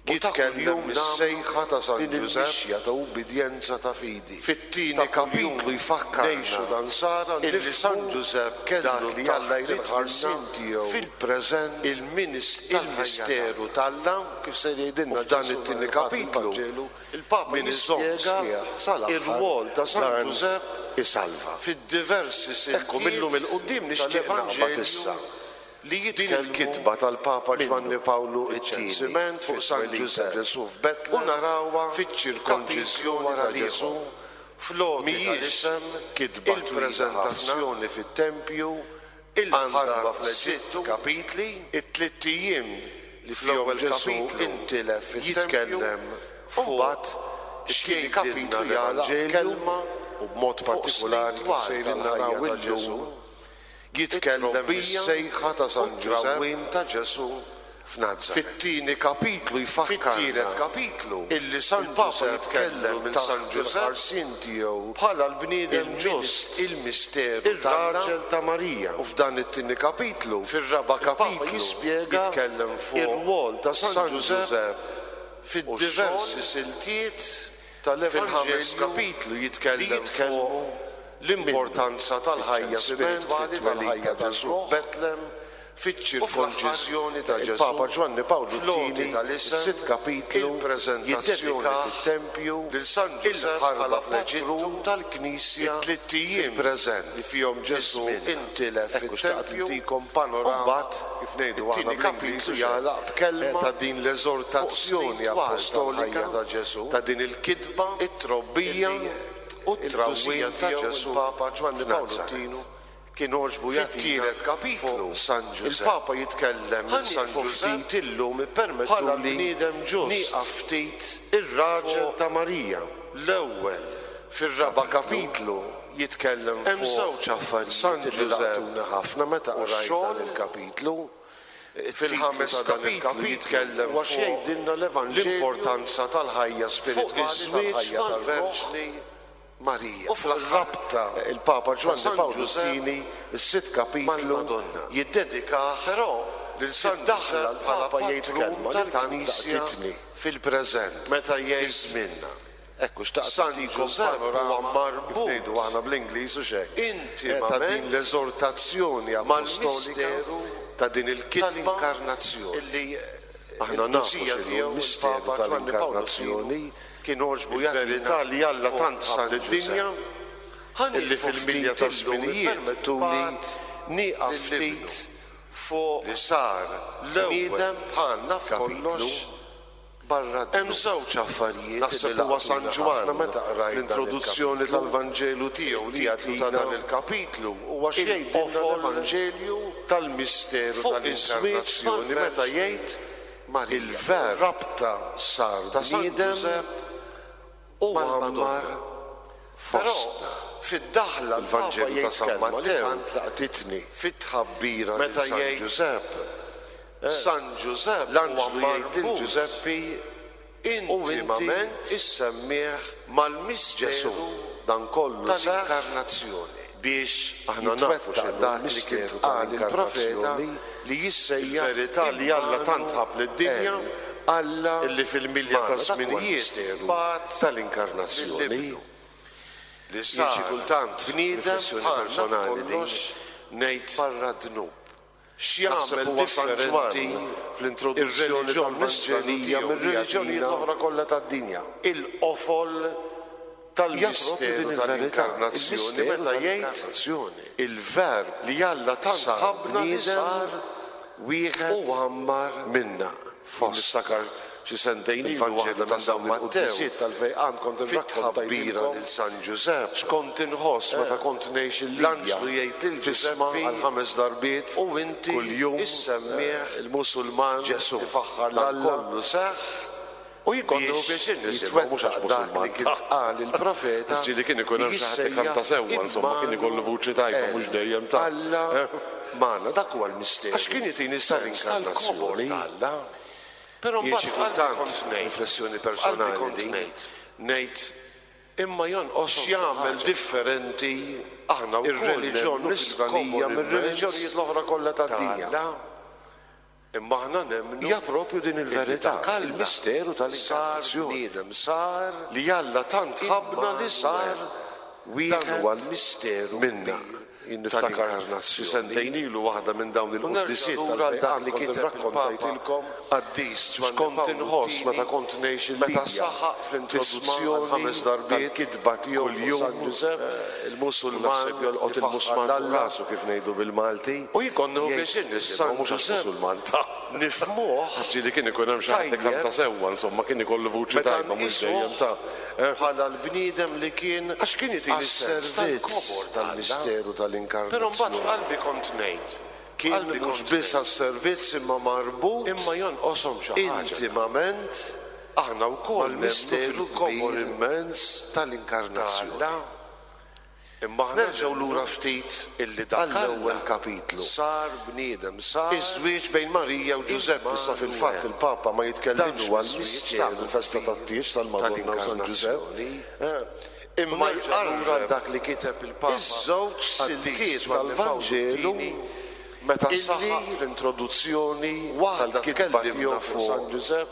u ta' jitkellem kuljum mis-sejħa ta' San din Ġużepp il-mixja ta' ubbidjenza ta' fidi. Fit-tieni Ta' kuljum kapitlu jfakkarna ngħixu ta' nsara illi nifhmu San Ġużepp kellu dak li Alla taħt jrid il-ħarsien minna tiegħu fil-preżent il-misteru tal-ħajja t'Alla Kif se u jgħidilna f'dan Ġesù it-tieni nhar il-Ħadd kapitlu fil-Vanġelu, il-Papa min iżomm jispjega sħiħ sal-aħħar ir-rwol ta' San dan Ġużepp isalva. fid-diversi Ekku siltiet millum il-quddiem nixtieq naqbad tal-Evanġelju issa. li Din jitkellmu il-kitba tal-Papa minnu. Ġwanni Pawlu t-Tieni Fiċ-ċensiment fuq San fit-twelid ta' Ġużepp Ġesù u f'Betlem narawha fiċ-ċirkonċiżjoni kapitlu wara ta' Ġesù l-ieħor. Fl-għoti mhijiex tal-isem, kitba twila ħafna il-preżentazzjoni fit-tempju, il-ħarba għandha fl-Eġittu, sitt kapitli it-tlitt ijiem li fl-ewwel fl-ewwel kapitlu kapitlu jitkellem jitkellem fuq fuq it-tieni it-tieni kapitlu kapitlu jagħlaq jagħlaq kelma u b'mod fuq partikolari snin kif twal sejrin tal-ħajja naraw ta' illum Ġesù, jitkellem it-trobbija mis-sejħa ta' u San Ġużepp t-trawwim ta' Ġesù f'Nazaret. Fit-tieni kapitlu jfakkarna Fit-tielet kapitlu illi San il-Papa Ġużepp jitkellem kellu minn taħt San Ġużepp il-ħarsien tiegħu bħala l-bniedem ġust, il-misteru t'Alla ir-raġel ta' Marija. U f'dan it-tieni kapitlu, Fir-raba' il-Papa kapitlu jispjega jitkellem fuq ir-rwol ta' San San Ġużepp Ġużepp fid-diversi u x-xogħol siltiet tal-Evanġelju Fil-ħames kapitlu li jitkellem jitkellmu fuq l-importanza tal-ħajja Fiċ-ċensiment, spiritwali, fit-twelid tal-ħajja ta' Ġesù tal-ruħ, f'Betlem, fiċ-ċirkonċiżjoni ta' Ġesù, il-Papa Ġwanni Pawlu fl-għoti t-Tieni, tal-isem, is-sitt kapitlu il-preżentazzjoni jiddedikah fit-tempju lil San Ġużepp il-ħarba bħala fl-Eġittu patrun tal-Knisja it-tlitt ijiem fil-preżent li fihom Ġesù fi-żmien. intilef Ekku xtaqt fit-tempju intikom panorama U mbagħad kif ngħidu aħna it-tieni bl-Ingliż kapitlu hux hekk, jagħlaq b'kelma ta' din l-eżortazzjoni fuq snin twal appostolika tal-ħajja ta' Ġesù, ta' din il-kitba, it-trobbija illi u t-trawwim il-qdusija ta' tiegħu Ġesù il-Papa Ġwanni Pawlu f'Nazaret. t-Tieni kien għoġbu jagħtina Fit-tielet kapitlu fuq San Ġużepp. Il-Papa jitkellem Ħa minn San nieqfu Ġużepp ftit illum ippermettuli bħala l-bniedem ġust, nieqaf ftit ir-raġel fuq ta' Marija. L-ewwel Fir-raba' kapitlu jitkellem fuq Hemm żewġ affarijiet San Ġużepp ħafna meta qrajt dan il-kapitlu. Fil-ħames kapitlu jitkellem fuq jgħidilna l-Evanġelju l-importanza tal-ħajja spiritwali tal-ħajja tal-Verġni Marija. U fl-rabta il-Papa Ġwanni Pawlu ii, is-sitt kapitlu jiddedikah però lil San Daħla l-Papa jgħid kelma li tant laqtitni fil-preżent meta jgħid żmienna. Ekku xtaqt San Ġużepp huwa marbut kif ngħidu aħna bl-Ingliż hux hekk intimament ta' din l-eżortazzjoni appostolika ta' din il-kitba tal-inkarnazzjoni illi aħna nafu x'inhu l-misteru tal-inkarnazzjoni kien għoġbu il-verità li Alla tant ħabb lid-dinja illi fil-milja taż-żminijiet permettuli nieqaf ftit fuq li sar bniedem bħalna f'kollox barra d-dnub. Hemm żewġ affarijiet Naħseb huwa San Ġwann meta qrajt l-introduzzjoni tal-Vanġelu tiegħu li jagħtina ta' dan il-kapitlu huwa x'jgħidilna l-Evanġelju tal-misteru tal-inkarnazzjoni meta jgħid il-Verb rabta sar ta' San Ġużepp u għammar fostna. Fid-daħla l-Vanġelu ta' San Mattew laqtitni fit-tħabbira meta jgħid Ġużepp San Ġużepp l-anġlu jgħid lil Ġużeppi intimament issemmih mal-misteru dan kollu tal-inkarnazzjoni biex aħna nafu dak li kien qal il-profeta li jissejjaħ il-verità li Alla tant ħabb lid-dinja Alla illi fil-milja taż-żminijiet bagħat tal-inkarnazzjoni li sar xi kultant bniedem bħalna f'kollox ngħid barra d-dnub. X'jagħmel differenti fl-introduzzjoni tal-Vanġelija mir-reliġjonijiet l-oħra kollha tad-dinja? Il-qofol tal-misteru tal-inkarnazzjoni meta jgħid il-Verb li Alla tant ħabbna li sar wieħed u għammar minna. Niftakar xi sentejn ilu waħda minn dawn il-quddiesiet tal-fejqan kont irrakkontajtilkom lil San Ġużepp x'kont inħoss meta kont ngħix il-Libja. L-anġlu jgħid lil Ġużeppi għal ħames darbiet kuljum il-Musulman Ġesù ifaħħar 'l Alla kollu seħħ u jien kont nieħu pjaċir nisimgħu mhux għax Musulman li kien qal il-profeta Ġieli kien ikun hemm xi ħadd ikanta sewwa insomma kien ikollu vuċi tajba mhux dejjem ta' Alla magħna dak huwa l-misteru. Għax kien jagħtini sens tal-kobor ta' Alla. Però mbagħad xi kultant riflessjoni personali din ngħid imma jonqos x'jagħmel differenti aħna ir-reliġjon nisranija mir-reliġjonijiet l-oħra kollha tad-dinja. Imma aħna nemmnu hija propju din il-verità, il-misteru tal-inkarnazzjoni. Sar bniedem, sar li Alla tant ħabbna li sar wieħed. Dan huwa l-misteru minna. Jien niftakar xi sentejn ilu waħda minn dawn il-quddiesiet tal-fejqan li kien irrakkontajtilkom qaddis x'kont inħoss meta kont ngħix il-Libja. Meta saħaq fl-introduzzjoni ħames darbiet tal-kitba tiegħu kuljum San Ġużepp, il-Musulman jolqot il-musmar fuq rasu kif ngħidu bil-Malti. U jien kont nieħu pjaċir nisimgħu mhux għax Musulman ta'. Nifhmuh. Għax ġieli kien ikun hemm xi ħadd ikanta sewwa insomma kien ikollu vuċi tajba mhux dejjem ta'. Bħala l-bniedem li kien Għax kien jagħtini s-sens tal-kobor tal-misteru tal-inkarnazzjoni. Però mbagħad f'qalbi kont ngħid, Kien mhux biss għas-servizz imma marbut Imma jonqoshom xi ħaġa. intimament Aħna wkoll nemmnu mal-misteru fil-kobor kbir immens tal-inkarnazzjoni. ta' Alla. Imma aħna Nerġgħu lura ftit illi dak għall-ewwel Alla kapitlu. sar bniedem, sar Iż-żwieġ bejn Marija u Ġużeppi issa fil-fatt Immanuel. il-Papa ma Dan jitkellimx huwa miż-żwieġ l-misteru tagħmel festa kbir tat-tieġ tal-Madonna u San Ġużepp. tal-inkarnazzjoni. Imma U nerġa' lura għal jqarreb dak li kiteb il-Papa iż-żewġ Qaddis siltiet Ġwanni Pawlu tal-Vanġelu II meta illi saħaq fl-introduzzjoni waħda tal-kitba tiegħu tkellimna fuq San fuq Ġużepp,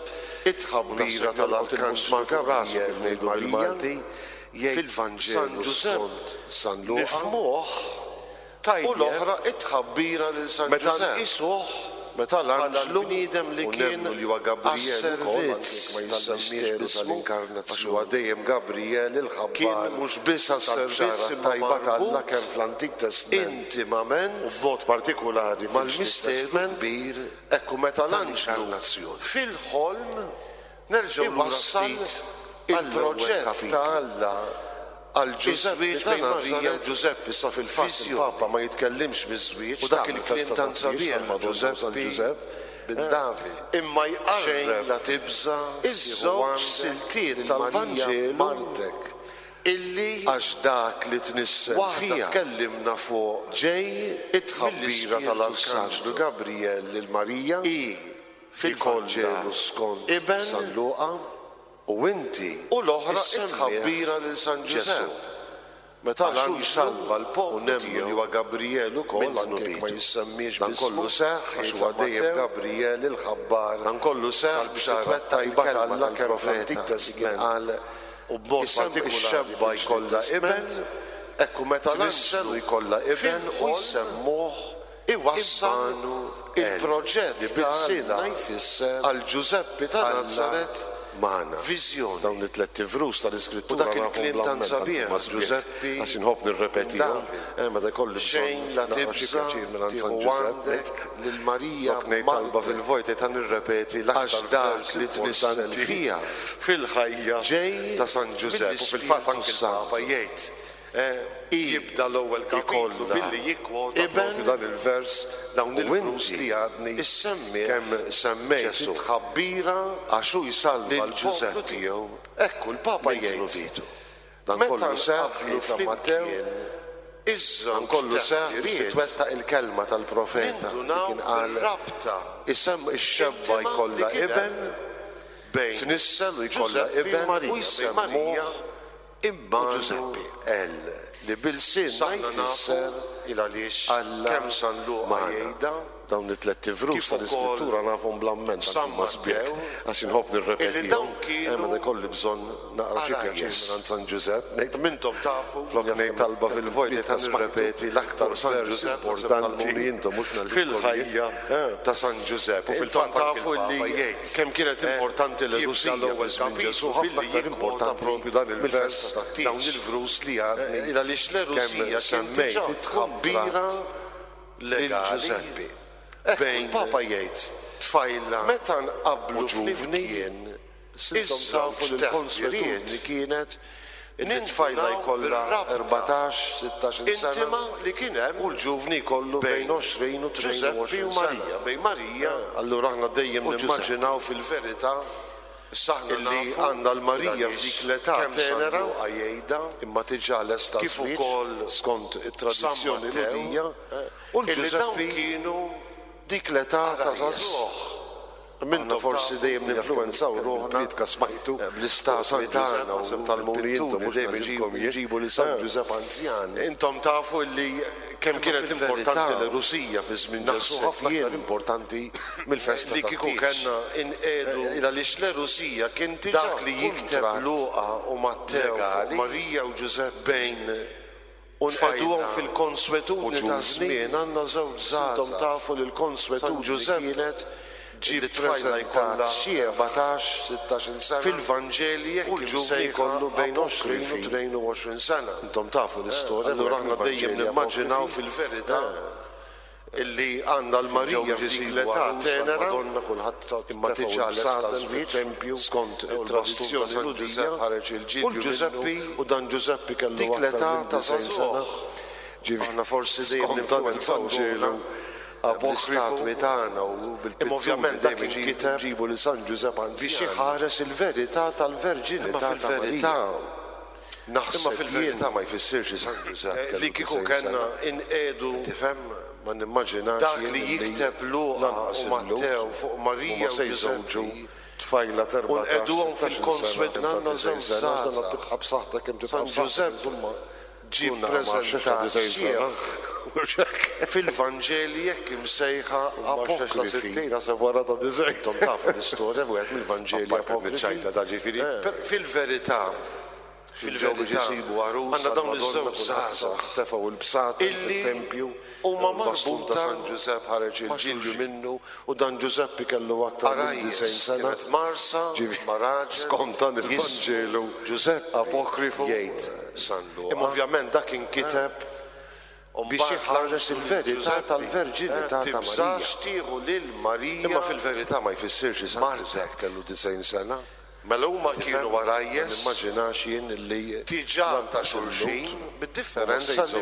it-tħabbira u naħseb jolqot tal-Arkanġlu il-musmar fuq rasu Gabriel kif lil ngħidu Marija bil-Malti, jgħid fil-Vanġelu San Ġużepp skont San Luqa nifhmuh u tajjeb l-oħra it-tħabbira lil San meta Ġużepp nqisuh meta bħala l-anġlu l-bniedem li u kien nemmnu li huwa Gabriel ukoll anke għas-servizz jekk ma jissemmiex tal-misteru b'ismu għax huwa tal-inkarnazzjoni. dejjem Gabriel il-ħabbar Kien mhux biss għas-servizz tal-bxara imma tajba ta' Alla marbut kemm fl-Antik Testment intimament u b'mod partikulari fil-Ġdid mal-misteru Testment kbir ekku meta l-anġlu tal-inkarnazzjoni. fil-ħolm Nerġgħu lura iwassal ftit għall-ewwel il-proġett kapitlu. ta' Alla għal Ġużeppi Iż-żwieġ ta' bejn Marija u Nazaret Ġużeppi issa fil-fatt viżjoni. il-Papa ma jitkellimx miż-żwieġ U dak tagħmel il-kliem festa tant tat-tieġ sabiħ tal-Madonna u San Ġużeppi Ġużepp bin David. Imma Xejn jqarreb la tibża' iż-żewġ siltiet tal-Vanġelu tal-Vanġelu martek. Illi għax dak li tnissel waħda tkellimna fuq ġej it-tħabbira tal-Arkanġlu Gabrijel lil Marija hi fil-Vanġelu skont Iben San Luqa u inti u l-oħra it-tħabbira lil San Ġużepp meta l-anġlu jsalva l-poplu tiegħu li huwa Gabrijel ukoll anke jekk ma jissemmiex Dan kollu seħħ għax huwa dejjem Gabrijel il-ħabbar Dan kollu seħħ biex titwettaq il-kelma tal-profeta li kien qal u b'mod partikulari ix-xebba jkollha iben, hekk u meta l-anġlu jkollha iben u jsemmuh iwassal il-proġett li b'ilsienna jfisser għal Ġużeppi ta' Nazaret magħna. Viżjoni. Dawn it-tlett ivrus tal-Iskrittura U dak il-kliem tant sabiħ, Ġużeppi għax inħobb nirrepetihom, meta jkolli bżonn Xejn la tibża' tieħu għandek lil Marija Flok ngħid talba fil-vojt qed nirrepeti l-aktar vers li tnissel fija fil-ħajja ta' San Ġużepp u fil-fatt anke l-Papa jgħid jibda l-ewwel kapitlu billi jikkwota proprju dan il-vers, dawn il-vrus li għadni kemm semmejt, it-tħabbira għax hu jsalva l-poplu tiegħu. Ekku l-Papa jgħid, Dan kollu seħħ, jgħid San Mattew, dan kollu seħħ biex titwettaq il-kelma tal-profeta li kien qal, Isem ix-xebba jkollha iben, tnissel u jkollha iben u jsemmuh Immanuel, li b'ilsienna jfisser Alla magħna. Dawn it-tlett ivrus tal-Iskrittura nafhom bl-amment anki huma sbieħ għax inħobb nirrepetihom meta jkolli bżonn naqra xi pjaċir mingħand San Ġużepp ngħid flok ngħid talba fil-vojt qed nirrepeti l-aktar vers importanti fil-ħajja ta' San Ġużepp. U fil-fatt anki l-Papa jgħid kemm kienet importanti l-għerusija fi żmien Ġesù, ħafna aktar importanti proprju dan il-vers, dawn il-vrus li għadni kemm semmejt, it-tħabbira lil Ġużeppi. Hekk il-Papa jgħid, tfajla meta nqabblu flimkien intom tafu li l-konswetudni kienet li t-tfajla jkollha 14, 16-il sena u l-ġuvni jkollu bejn 20 u 22 sena. Allura aħna dejjem nimmaġinaw fil-verità illi għandna l-Marija f'dik l-età tenera, imma diġà lesta għaż-żwieġ skont it-tradizzjoni Lhudija, u l-Ġużeppi dik l-età ta' żagħżugħ. Aħna forsi dejjem ninfluwenzaw ruħna bl-istatwi tagħna u bil-pitturi dejjem iġibu lil San Ġużepp anzjan. Intom tafu illi kemm kienet importanti l-għerusija fi żmien Ġesù, ħafna aktar importanti mill-festa tat-tieġ. Li kieku kellna inqiegħdu għaliex l-għerusija kien diġà dak li jikteb Luqa u Mattew fuq Marija u Ġużepp bejn u nqegħduhom fil-konswetudni ta' żmien għandna żewġ żgħażagħ. Intom tafu li l-konswetudni kienet ġie ppreżentat xi 14, 16-il sena fil-Vanġeli hekk u l-ġuvni jkollu bejn 20 u 22 sena. Intom tafu l-istorja. Allura aħna dejjem nimmaġinaw fil-verità illi għandna l-Marija f'dik l-età tenera, imma diġà lesta għaż-żwieġ skont it-tradizzjoni Lhudija, u l-Ġużeppi u dan Ġużeppi kellu aktar minn 90 sena. Aħna forsi dejjem ninfluwenzaw ruħna bl-istatwi tagħna u bil-pitturi dejjem inġibu lil San Ġużepp anzjan biex iħares il-verità tal-verġinità ta' Marija. Naħseb Imma fil-verità ma jfissirx li San Ġużepp kellu Li kieku kellna inqiegħdu Tifhem? Ma nimmaġinax dak li jikteb Luqa u Mattew fuq Marija u Ġużeppi tfajla ta' u nqegħduhom fil-konswetudni għandna żewġ żgħażagħ. Tibqa' b'saħħtek kemm tibqa' San Ġużepp ġie ppreżentat xiħ fil-Vanġeli hekk imsejħa apokrifi. Intom tafu l-istorja f'wieħed mill-Vanġeli apokrifi. Fil-verità, fil-verità, għandna dawn iż-żewġ żgħażagħ illi huma marbuta ma' xulxin. Għarajjes kienet mgħarrsa ma' raġel jismu Ġużeppi, jgħid San Luqa. Imma ovvjament dak inkiteb biex iħares il-verità tal-verġinità ta' Marija. Tibżax tieħu lil Marija. Imma fil-verità ma jfissirx li San Ġużepp kellu 90 sena. Mela huma kienu għarajjes. Ma nimmaġinax jien li diġà ta' xulxin, bid-differenza li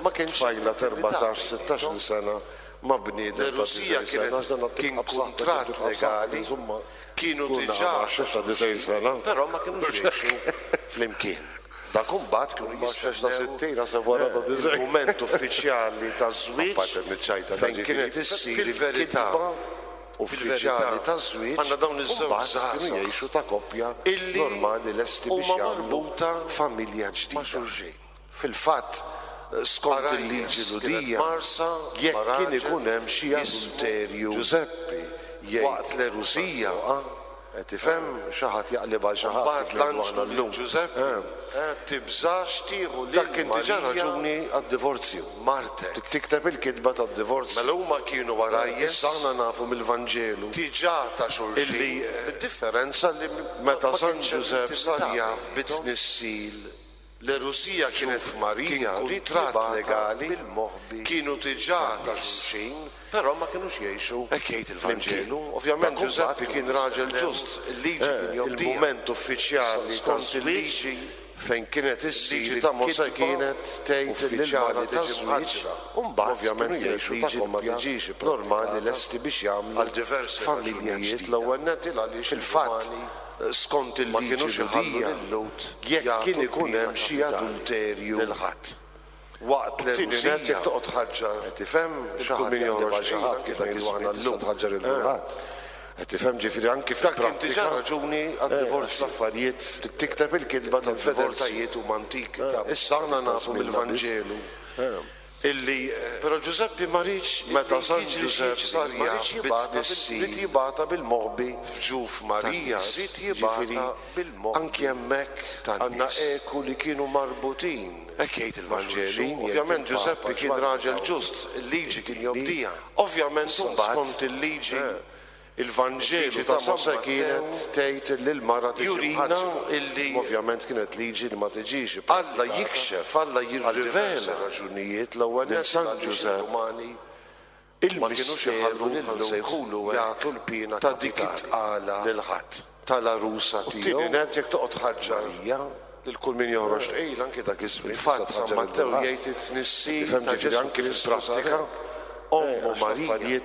ma kienx tfajla ta' 14, 16-il sena ma' bniedem ta' 90 sena, għax dan kien kuntratt legali, kienu diġà ta' 90 sena, però ma kinux jgħixu flimkien. Dak imbagħad kienu jistennew il-mument uffiċjali taż-żwieġ fejn kienet issir il-kitba uffiċjali taż-żwieġ u mbagħad kienu jgħixu ta' koppja normali lesti biex jagħmlu familja ġdida. Fil-fatt, skont il-liġi Lhudija, jekk kien ikun hemm xi adulterju waqt l-għerusija, qed tifhem, xi ħadd jaqlibha għal xi ħadd kif ngħidu aħna llum, dak kien diġà raġuni għad-divorzju. Trid tikteb il-kitba tad-divorzju. Issa aħna nafu mill-Vanġelu illi meta San Ġużepp sar jaf bit-tnissil, L-għerusija kienet f'Marija kien kuntratt legali bil-moħbi kienu diġà ta' xulxin, però ma kinux jgħixu Hekk jgħid il-Vanġelu. Ovvjament Ġużeppi kien raġel ġust, il-liġi kien jobdiha. Il-mument uffiċjali skont il-liġi fejn kienet issir ta' Mosè kienet tgħid li l-mara tiġi mħaġġra. U mbagħad ovvjament kienet liġi li ma tiġix normali lesti biex jagħmlu familja ġdida. L-ewwel nett il għaliex il-fatt skont il-liġi Lhudija, jekk kien ikun hemm xi adulterju lil ħadd. Waqt l-għerusija, jekk toqgħod tħaġġar, qed tifhem, xi ħadd jaqleb għal xi ħadd kif ngħidu aħna llum, tħaġġar lil kulħadd. Qed tifhem, ġifieri anki fil-prattika. Dak kien diġà raġuni għad-divorzju. L-affarijiet trid tikteb il-kitba tal-fedeltajiet huma antiki ta' Issa aħna nafu mill-Vanġelu Illi, però Ġużeppi ma riedx meta San Ġużepp sar jaf bit-tnissil, ried jibgħatha bil-moħbi f'ġuf Marija, ried jibgħatha bil-moħbi anki hemmhekk għandna eku li kienu marbutin. Hekk jgħid il-Vanġelu. Ovvjament Ġużeppi kien raġel ġust, il-liġi kien jobdiha. Ovvjament imbagħad skont il-liġi Il-Vanġelu ta' Mosè kienet tgħid li l-mara tiġi mħaġġra, imma ovvjament kienet liġi li ma tiġix ipprattikata. Alla jikxef, Alla jirrivela raġunijiet l-ewwel nett San Ġużepp il-misteru lil-Lhud jagħtu l-piena ta' dik it-tqala lil ħadd tal-għarusa tiegħu. U t-tieni nett jekk toqgħod tħaġġar Marija lil kull min joħroġ tqil anki dak iż-żmien. Fil-fatt San Mattew jgħid it-tnissil ta' Ġesù anki fil-prattika ommu Marija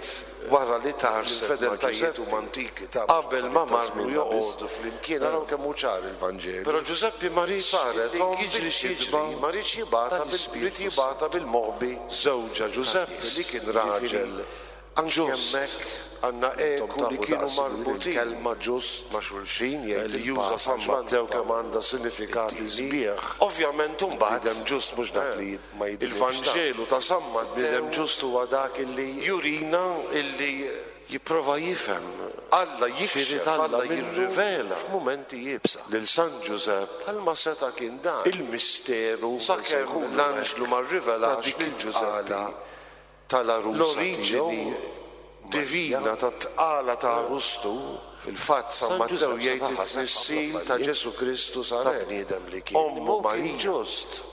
wara li tgħarrset ma' Ġużeppi qabel ma marru joqogħdu flimkien araw kemm hu ċar il-Vanġelu. Però Ġużeppi ma riedx saret omm jiġri x'jiġri ma riedx jibgħatha bil-ried jibgħatha bil-moħbi żewġha Ġużeppi li kien raġel Anki hemmhekk għandna eku li kienu marbutin il-kelma ġust ma' xulxin jgħid li juża San Mattew kemm għandha sinifikati sbieħ. Ovvjament imbagħad bniedem ġust mhux dak li ma jidnibx. Il-Vanġelu ta' San Mattew bniedem ġust huwa dak illi jurina illi jipprova jifhem Alla jikxef, Alla jirrivela f'mumenti iebsa lil San Ġużepp bħalma seta' kien dan il-misteru sakemm l-anġlu ma rrivelax lil Ġużeppi tal-għarusa L-oriġini divina tat-tqala ta' għarustu, fil-fatt San Mattew jgħid it-tnissil ta' Ġesù Kristu sar hekk, ommu Marija,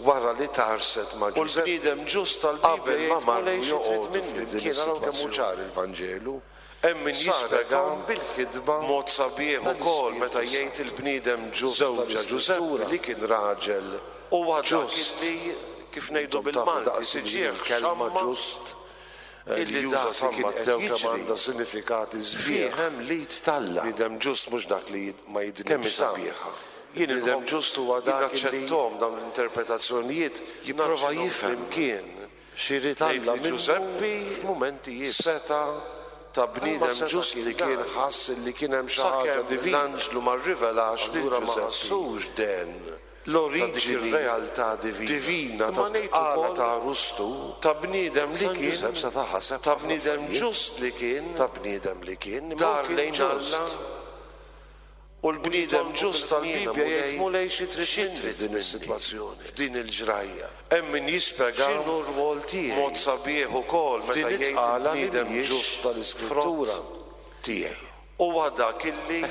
wara li tgħarrset ma' Ġużeppi, u l-bniedem ġust tal-Bibbja jgħid Mulej xi trid minni f'din is-sitwazzjoni? Hemm min jispjega bil-ħidma b'mod sabiħ ukoll meta jgħid il-bniedem ġust żewġha Ġużeppi li kien raġel huwa dak illi kif ngħidu bil-Malti tiġih xamma ġust illi dak li kien qed jiġri għandha sinifikati sbieħ fih hemm l-id t'Alla. Bniedem ġust mhux dak li ma jidnibx. Kemm hi sabiħa. Jien inħobb ġust huwa dak illi naċċetthom dawn l-interpretazzjonijiet jipprova jifhem flimkien X'irid Alla minnu Ġużeppi f'mumenti iebsa. Seta' ta' bniedem ġust li kien ħass illi kien hemm xi ħaġa divina. L-anġlu ma rrivelax lil Ġużeppi. Ma ħassux den l-oriġini realtà divina tat-tqala ta' għarustu ta' bniedem li kien ta' bniedem ġust li kien ta' bniedem li kien dar lejn Alla. U l-bniedem ġust tal-Bibbja jgħid, Mulej xi trid minni f'din is-sitwazzjoni, f'din il-ġrajja? Hemm min jispjega x'inhu r-rwol tiegħi b'mod sabiħ ukoll meta jgħid il-bniedem ġust tal-Iskrittura tiegħi. Huwa dak illi,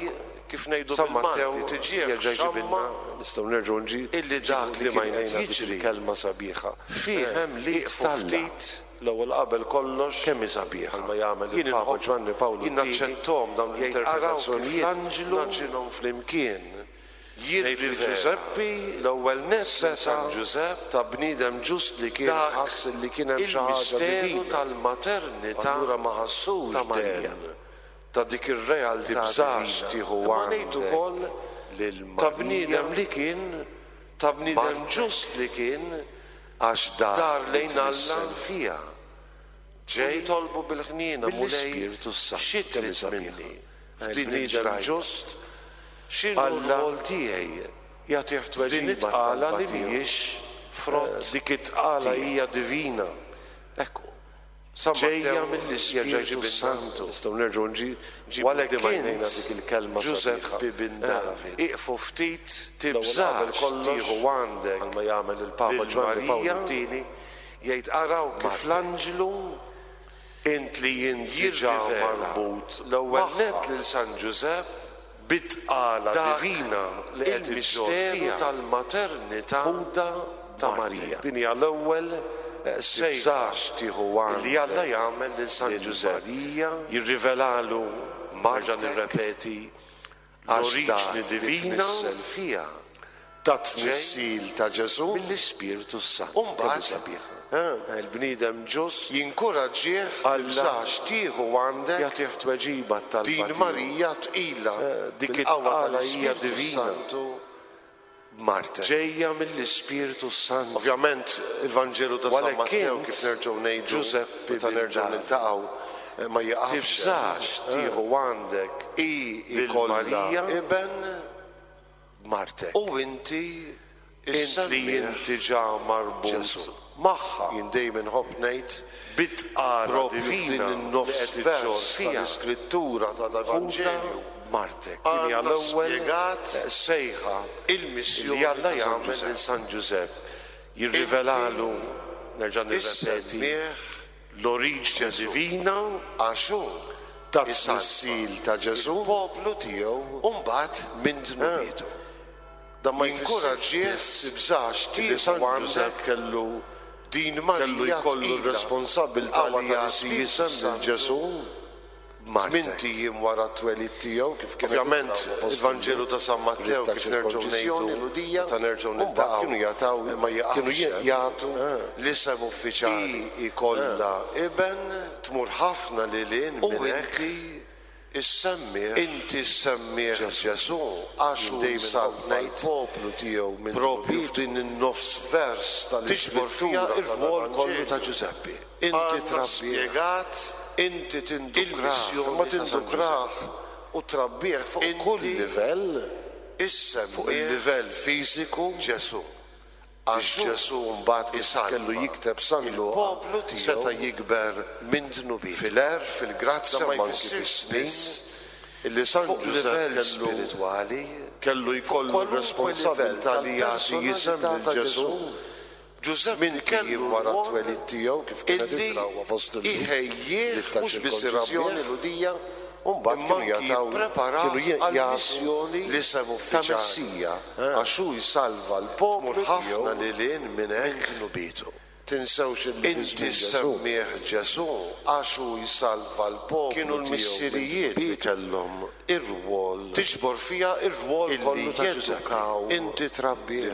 kif ngħidu bil-Malti, tiġih xamma nistgħu nerġgħu illi dak li kien qed jiġri kelma sabiħa. Fih hemm l-id ftit L-ewwel qabel kollox, kemm hi sabiħa, bħalma jagħmel il-Papa Ġwanni Pawlu ii, jien naċċetthom dawn l-interpretazzjonijiet, l-anġlu naġġinhom flimkien, jgħid lil Ġużeppi, l-ewwel nett lil San Ġużepp, ta' bniedem ġust li kien ħass li kien hemm xi ħaġa divina, tal-maternità allura ma ħassux ta' Marija, ta' dik ir-realtà divina. Tibżax tieħu għandek lil Marija, ta' bniedem li kien. Ta' bniedem ġust li kien għax dar lejn Alla fiha. Ġej jitolbu bil-ħniena Mulej xi trid minni f'din il-ġrajja ġust x'inhu r-rwol tiegħi jagħtih tweġiba f'din it-tqala li mhijiex frott dik it-tqala hija divina. Hekk hu. San Ġejja mill-Ispirtu s-Santu. Nistgħu nerġgħu nġibu quddiem għajnejna dik il-kelma Ġużeppi bin David. Ieqfu ftit, tibżax tieħu għandek bħalma jagħmel il-Papa Ġwanni Pawlu t-Tieni, jgħid araw kif l-anġlu int li int diġà marbut l-ewwel nett lil San Ġużepp bit-tqala divina li qed iġġorr fiha tal-maternità ta' Marija. Din hija l-ewwel sejħa li Alla jagħmel lil San Ġużepp, jirrivelalu, nerġa' nirrepeti, l-oriġni divina tat-tnissil ta' Ġesù mill-Ispirtu s-Santu. U mbagħad il-bniedem ġust jinkuraġġih tibżax tieħu għandek jagħtih tweġiba t-talba din Marija tqila dik it-tqala tal-Ispirtu s-Santu b'martek. Ġejja mill-Ispirtu s-Santu. Ovvjament il-Vanġelu ta' San Mattew kif nerġgħu ngħidu Ġużeppi meta nerġgħu niltaqgħu ma jiqafx. Tibżax tieħu għandek hi lil Marija iben b'martek. U inti int li inti ġa marbut Ġesù. Magħha. Jien dejjem inħobb ngħid bit-tqala propju f'din in-nofs vers tal-Iskrittura tal-Evanġelju b'martek. Din hija l-ewwel sejħa li Alla jagħmel lil San Ġużepp. Jirrivelalu, nerġa' nirrepeti, l-oriġni divina għax hu tat-tnissil ta' Ġesù il-poplu tiegħu u mbagħad minn dnubietu. Dan ma jinkuraġġih tibżax tieħu San Ġużepp kellu din Marija kellu jkollu r-responsabbiltà li jagħti isem lil Ġesù. Tmint ijiem wara t-twelid tiegħu, kif kienet Ovvjament, il-Vanġelu ta' San Mattew, kif nerġgħu ngħidu, meta nerġgħu niltaqgħu, kienu jagħtaw, kienu jagħtu l-isem uffiċjali. Hi jkollha iben, tmur ħafna lil hinn minn hekk. U inti ssemmih, inti ssemmih Ġesù, għax hu jsalva l-poplu tiegħu minn Proprju f'din in-nofs vers tal-Iskrittura tiġbor fiha r-rwol kollu ta' Ġużeppi. Inti trabbih. Spjegat inti tindukrah, imma tindukrah u trabbih fuq kull livell, fuq il-livell fiżiku, Ġesù. Għax Ġesù mbagħad kif kellu jikteb San Luqa seta' jikber minn dnubiet fil-għerf, fil-grazzja u anki fis-snin, illi San Ġużepp kellu kellu jkollu r-responsabilità li jagħti isem lil Ġesù. Ġużeppi kellu jiem wara t-twelid tiegħu kif kienet id-drawwa fost il-Lhud iħejjih mhux biss irabbih Lhudija u mbagħad kienu jagħtaw kienu jagħtu l-isem ta' Messija għax hu jsalva l-poplu ħafna lil hinn minn hekk dnubietu. Tinsewx illi fi żmien Ġesù semmih Ġesù għax hu jsalva l-poplu kienu l-missirijiet li kellhom ir-rwol tiġbor fiha r-rwol kollu ta' Ġużeppi. Inti trabbih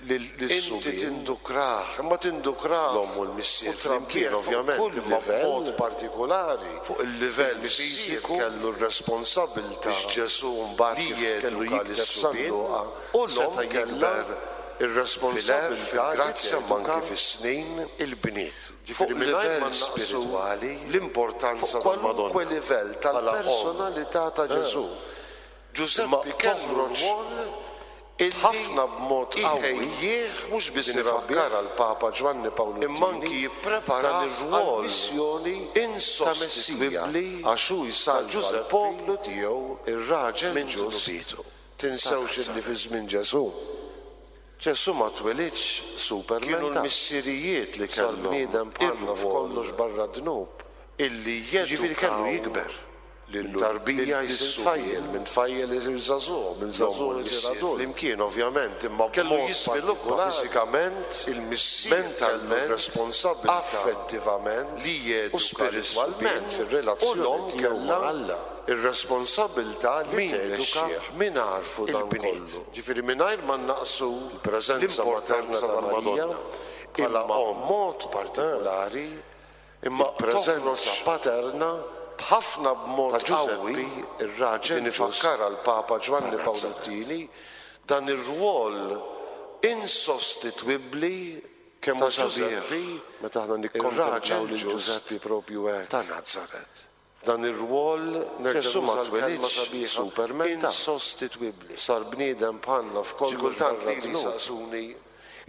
lis-subien. Inti tindukrah, imma tindukrah l-omm u l-missier flimkien ovvjament, imma b'mod partikulari fuq il-livell fiżiku kellu r-responsabilità biex Ġesù mbagħad kif kellu jikteb San Luqa u l-omm kellha r-responsabilità li teduka anki fis-snin il-bniet. Fuq livell spiritwali, l-importanza fuq kwalunkwe livell tal-personalità ta' Ġesù. Ġużeppi kellu rwol illi ħafna b'mod qawwi iħejjih mhux biss din ifakkarha l-Papa Ġwanni Pawlu imma anki jippreparah għall-missjoni ta' Messija għax hu jsalva l-poplu tiegħu ir-raġel minn ġust. Tinsewx illi fi żmien Ġesù, Ġesù ma twelidx superman. Kienu l-missirijiet li kellhom bniedem bħalna f'kollox barra d-dnub, illi jiġifieri kellu jikber. Minn tarbija jsir tfajjel, minn tfajjel isir żagħżugħ, minn żagħżugħ isir adult. Flimkien ovvjament, imma kellu jiżviluppa fiżikament, il-missier mentalment, responsabbiltà, affettivament, li jeduka u spiritwalment fir-relazzjoni tiegħu ma' Alla. Ir-responsabbiltà li teduka min għarfu dan kollu. Ġifieri mingħajr ma nnaqqsu l-preżenza materna ta' Marija bħala omm mod partikulari, imma preżenza paterna b'ħafna b'mod qawwi ir-raġel din ifakkarha l-Papa Ġwanni Pawlu t-Tieni, dan ir-rwol. insostitwibbli Kemm hu ta' sabiħ Ġużeppi, meta aħna nikkontemplaw ir-raġel lil ġust Ġużeppi propju hekk. ta' Nazaret. F'dan ir-rwol nerġa' Ġesù ma nuża l-kelma twelidx sabiħa superman ta'. insostitwibbli. Sar bniedem bħalna Xi f'kollox kultant barra lili d-dnub. jsaqsuni,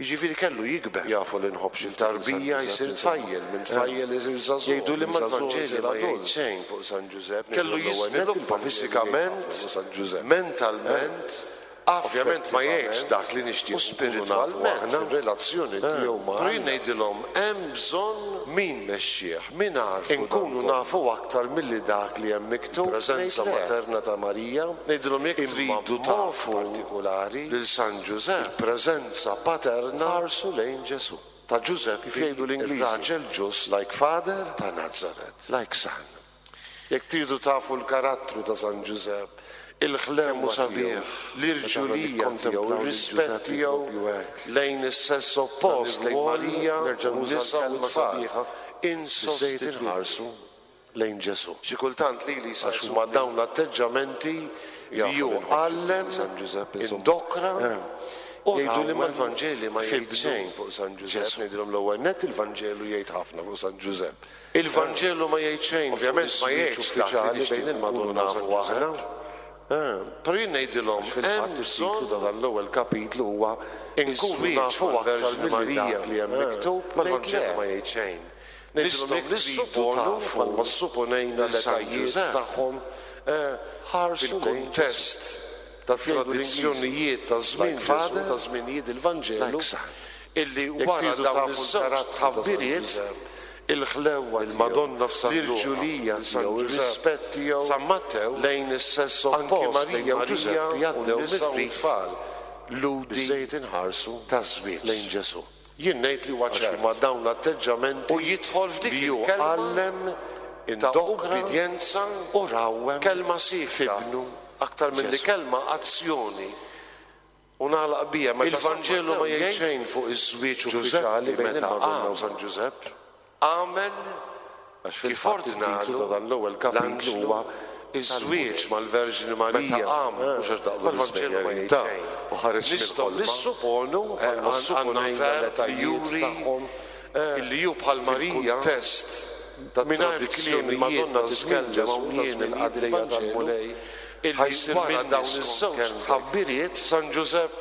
jiġifieri kellu jikber. Jafu li nħobb xi Minn ftit lil San tarbija Ġużepp jsir insomma. tfajjel, minn tfajjel isir żagħżugħ, Jgħiduli minn imma żagħżugħ l-Vanġeli isir ma jgħid adult. xejn fuq San Ġużepp, Kellu ngħidilhom l-ewwel nett jiżviluppa il-Vanġelu jgħid ħafna fiżikament, fuq San Ġużepp. mentalment, Ovvjament ma jgħidx affettivament dak li u nixtiequ nkunu nafu spiritwalment aħna. fir-relazzjoni tiegħu ma' Però jien Alla. ngħidilhom hemm bżonn Min mexxieh, min għarfu dan inkunu kollu? nafu aktar milli dak li hemm miktub, Il-preżenza ngħid le. materna ta' Marija, Ngħidilhom jekk imma tridu b'mod tafu partikulari lil San Ġużepp, il-preżenza paterna ħarsu lejn Ġesù. ta' Ġużeppi, Kif jgħidu l-Ingliżi, ir-raġel ġust like father, ta' Nazaret. like son. Jekk tridu tafu l-karattru ta' San Ġużepp, il-ħlewwa Kemm hu sabiħ tiegħu, meta aħna l-irġulija tiegħu, nikkontemplaw lil ir-rispett Ġużeppi tiegħu propju hekk. lejn is-sess Dan oppost, lejn ir-rwol, Marija nerġa' u nuża n-nisa u l-kelma t-tfal. sabiħa, Biżżejjed insostitwibbli. inħarsu lejn Ġesù. Xi kultant lili Għax jsaqsuni huma dawn l-atteġġamenti li Jafu hu li nħobb xi ftit għallem, lil San Ġużepp, insomma. indokra u Jgħidu li ma rawwem l-Vanġeli ma jgħid f'ibnu xejn fuq San Ġużepp, Ġesù. ngħidilhom l-ewwel nett il-Vanġelu jgħid ħafna fuq San Ġużepp. Il-Vanġelu ma jgħid xejn fuq Ovvjament ma iż-żwieġ jgħidx dak li uffiċjali bejn nixtiequ nkunu il-Madonna nafu u San aħna. Ġużepp. Però jien ngħidilhom Għax fil-fatt hemm it-titlu ta' bżonn dan l-ewwel kapitlu huwa inkunu Iż-żwieġ nafu aktar mal-Verġni milli Marija. dak li hemm miktub, Ma ngħid l-Vanġelu le. ma jgħid xejn. Ngħidilhom Nistgħu jekk tridu nissuponu tafu bħalma ssuponejna lil San l-etajiet Ġużepp, tagħhom ħarsu lejn fil-kuntest tat-tradizzjonijiet ta' żmien Like Ġesù, father, ta' żminijiet il-Vanġelu, like son. illi Jekk wara tridu dawn tafu iż-żewġ l-karattru ta' San tħabbiriet, Ġużepp, il-ħlewwa tiegħu, il-Madonna f'San Luqa, l-irġulija lil San tiegħu, Ġużepp, ir-rispett tiegħu San Mattew, lejn is-sess anki oppost, lejn Marija u Marija Ġużeppi u għaddew n-nisa u mir-rit t-tfal ludi biżżejjed inħarsu taż-żwieġ. lejn Ġesù. Jien ngħid li huwa Għax ċert. huma dawn l-atteġġamenti U jidħol f'dik li hu il-kelma għallem, ta' indokra ubbidjenza u rawwem kelma sikta f'ibnu aktar milli Ġesù. kelma azzjoni. U nagħlaq bija meta San Il-Vanġelu ma Mattew jgħid jgħid xejn fuq iż-żwieġ Ġużeppi uffiċjali bejn meta il-Madonna qam u San Ġużepp. għamel Għax kif fil-fatt it-titlu ordnalu ta' dan l-ewwel kapitlu l-anġlu huwa iż-żwieġ mal-Verġni Meta Marija. qam, mhux għax daqlu Ma l-Vanġelu ma l-iżvenjarin jgħid ta' xejn. u ħareġ Nistgħu mill-ħolma. nissuponu Bħalma għandna ssuponejna verb li l-etajiet juri tagħhom, illi hu bħal Marija fil-kuntest mingħajr kliem il-Madonna tat-tradizzjonijiet ta' żmien titkellem Ġesù hawn ta' jien żminijiet il-qaddejja il-Vanġelu, tal-Mulej illi ħa jsir wara minni dawn skont iż-żewġ kelmtek. tħabbiriet San Ġużepp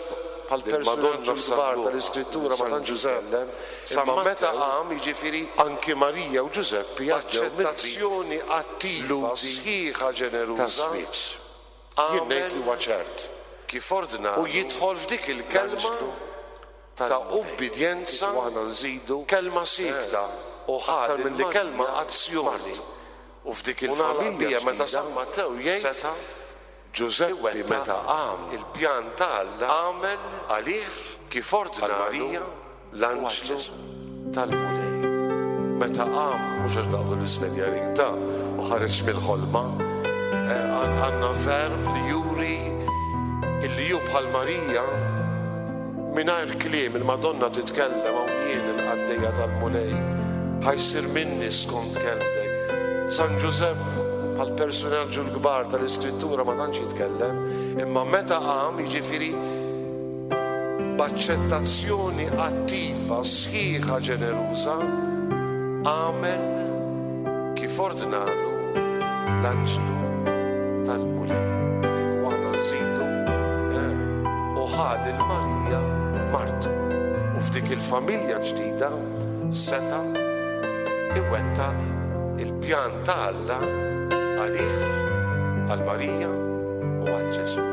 bħal Il-Madonna personaġġi f'San kbar Luqa, tal-Iskrittura ma San tantx Ġużepp. jitkellem, Imma imma meta meta qam jiġifieri anki Marija u Ġużeppi għaddew mir-rit b'aċċettazzjoni attiva, ludi sħiħa, ġeneruża, taż-żwieġ. Jien ngħid li huwa ċert. kif ordnalu U jidħol f'dik il-kelma l-anġlu ta' tal-Mulej. ubbidjenza, Kieku aħna nżidu kelma sikta u aktar ħad milli il-kelma kelma azzjoni. martu. U f'dik U nagħlaq il-familja bija meta ġdida, San Mattew jgħid seta' Ġużeppi iwettaq meta qam il-pjan ta' Alla għamel għalih kif għal ordnalu Marija l-anġlu tal-Mulej. Meta qam Mhux għax daqlu l-iżvenjarin ta' u ħareġ mill-ħolma. Għandna verb li juri illi hu bħal Marija mingħajr kliem il-Madonna titkellem hawn jien il-qaddejja tal-Mulej ħa jsir minni skont kelmtek. San Ġużepp bħal personaġġu l-kbar tal-Iskrittura ma tantx jitkellem, imma meta qam jiġifieri b'aċċettazzjoni attiva, sħiħa, ġeneruża, għamel kif ordnalu l-anġlu tal-Mulej. Kieku aħna nżidu, u ħa lil Marija martu. U f'dik il-familja ġdida seta' iwettaq il-pjan ta' Alla għalih, għal Marija u għal Ġesù.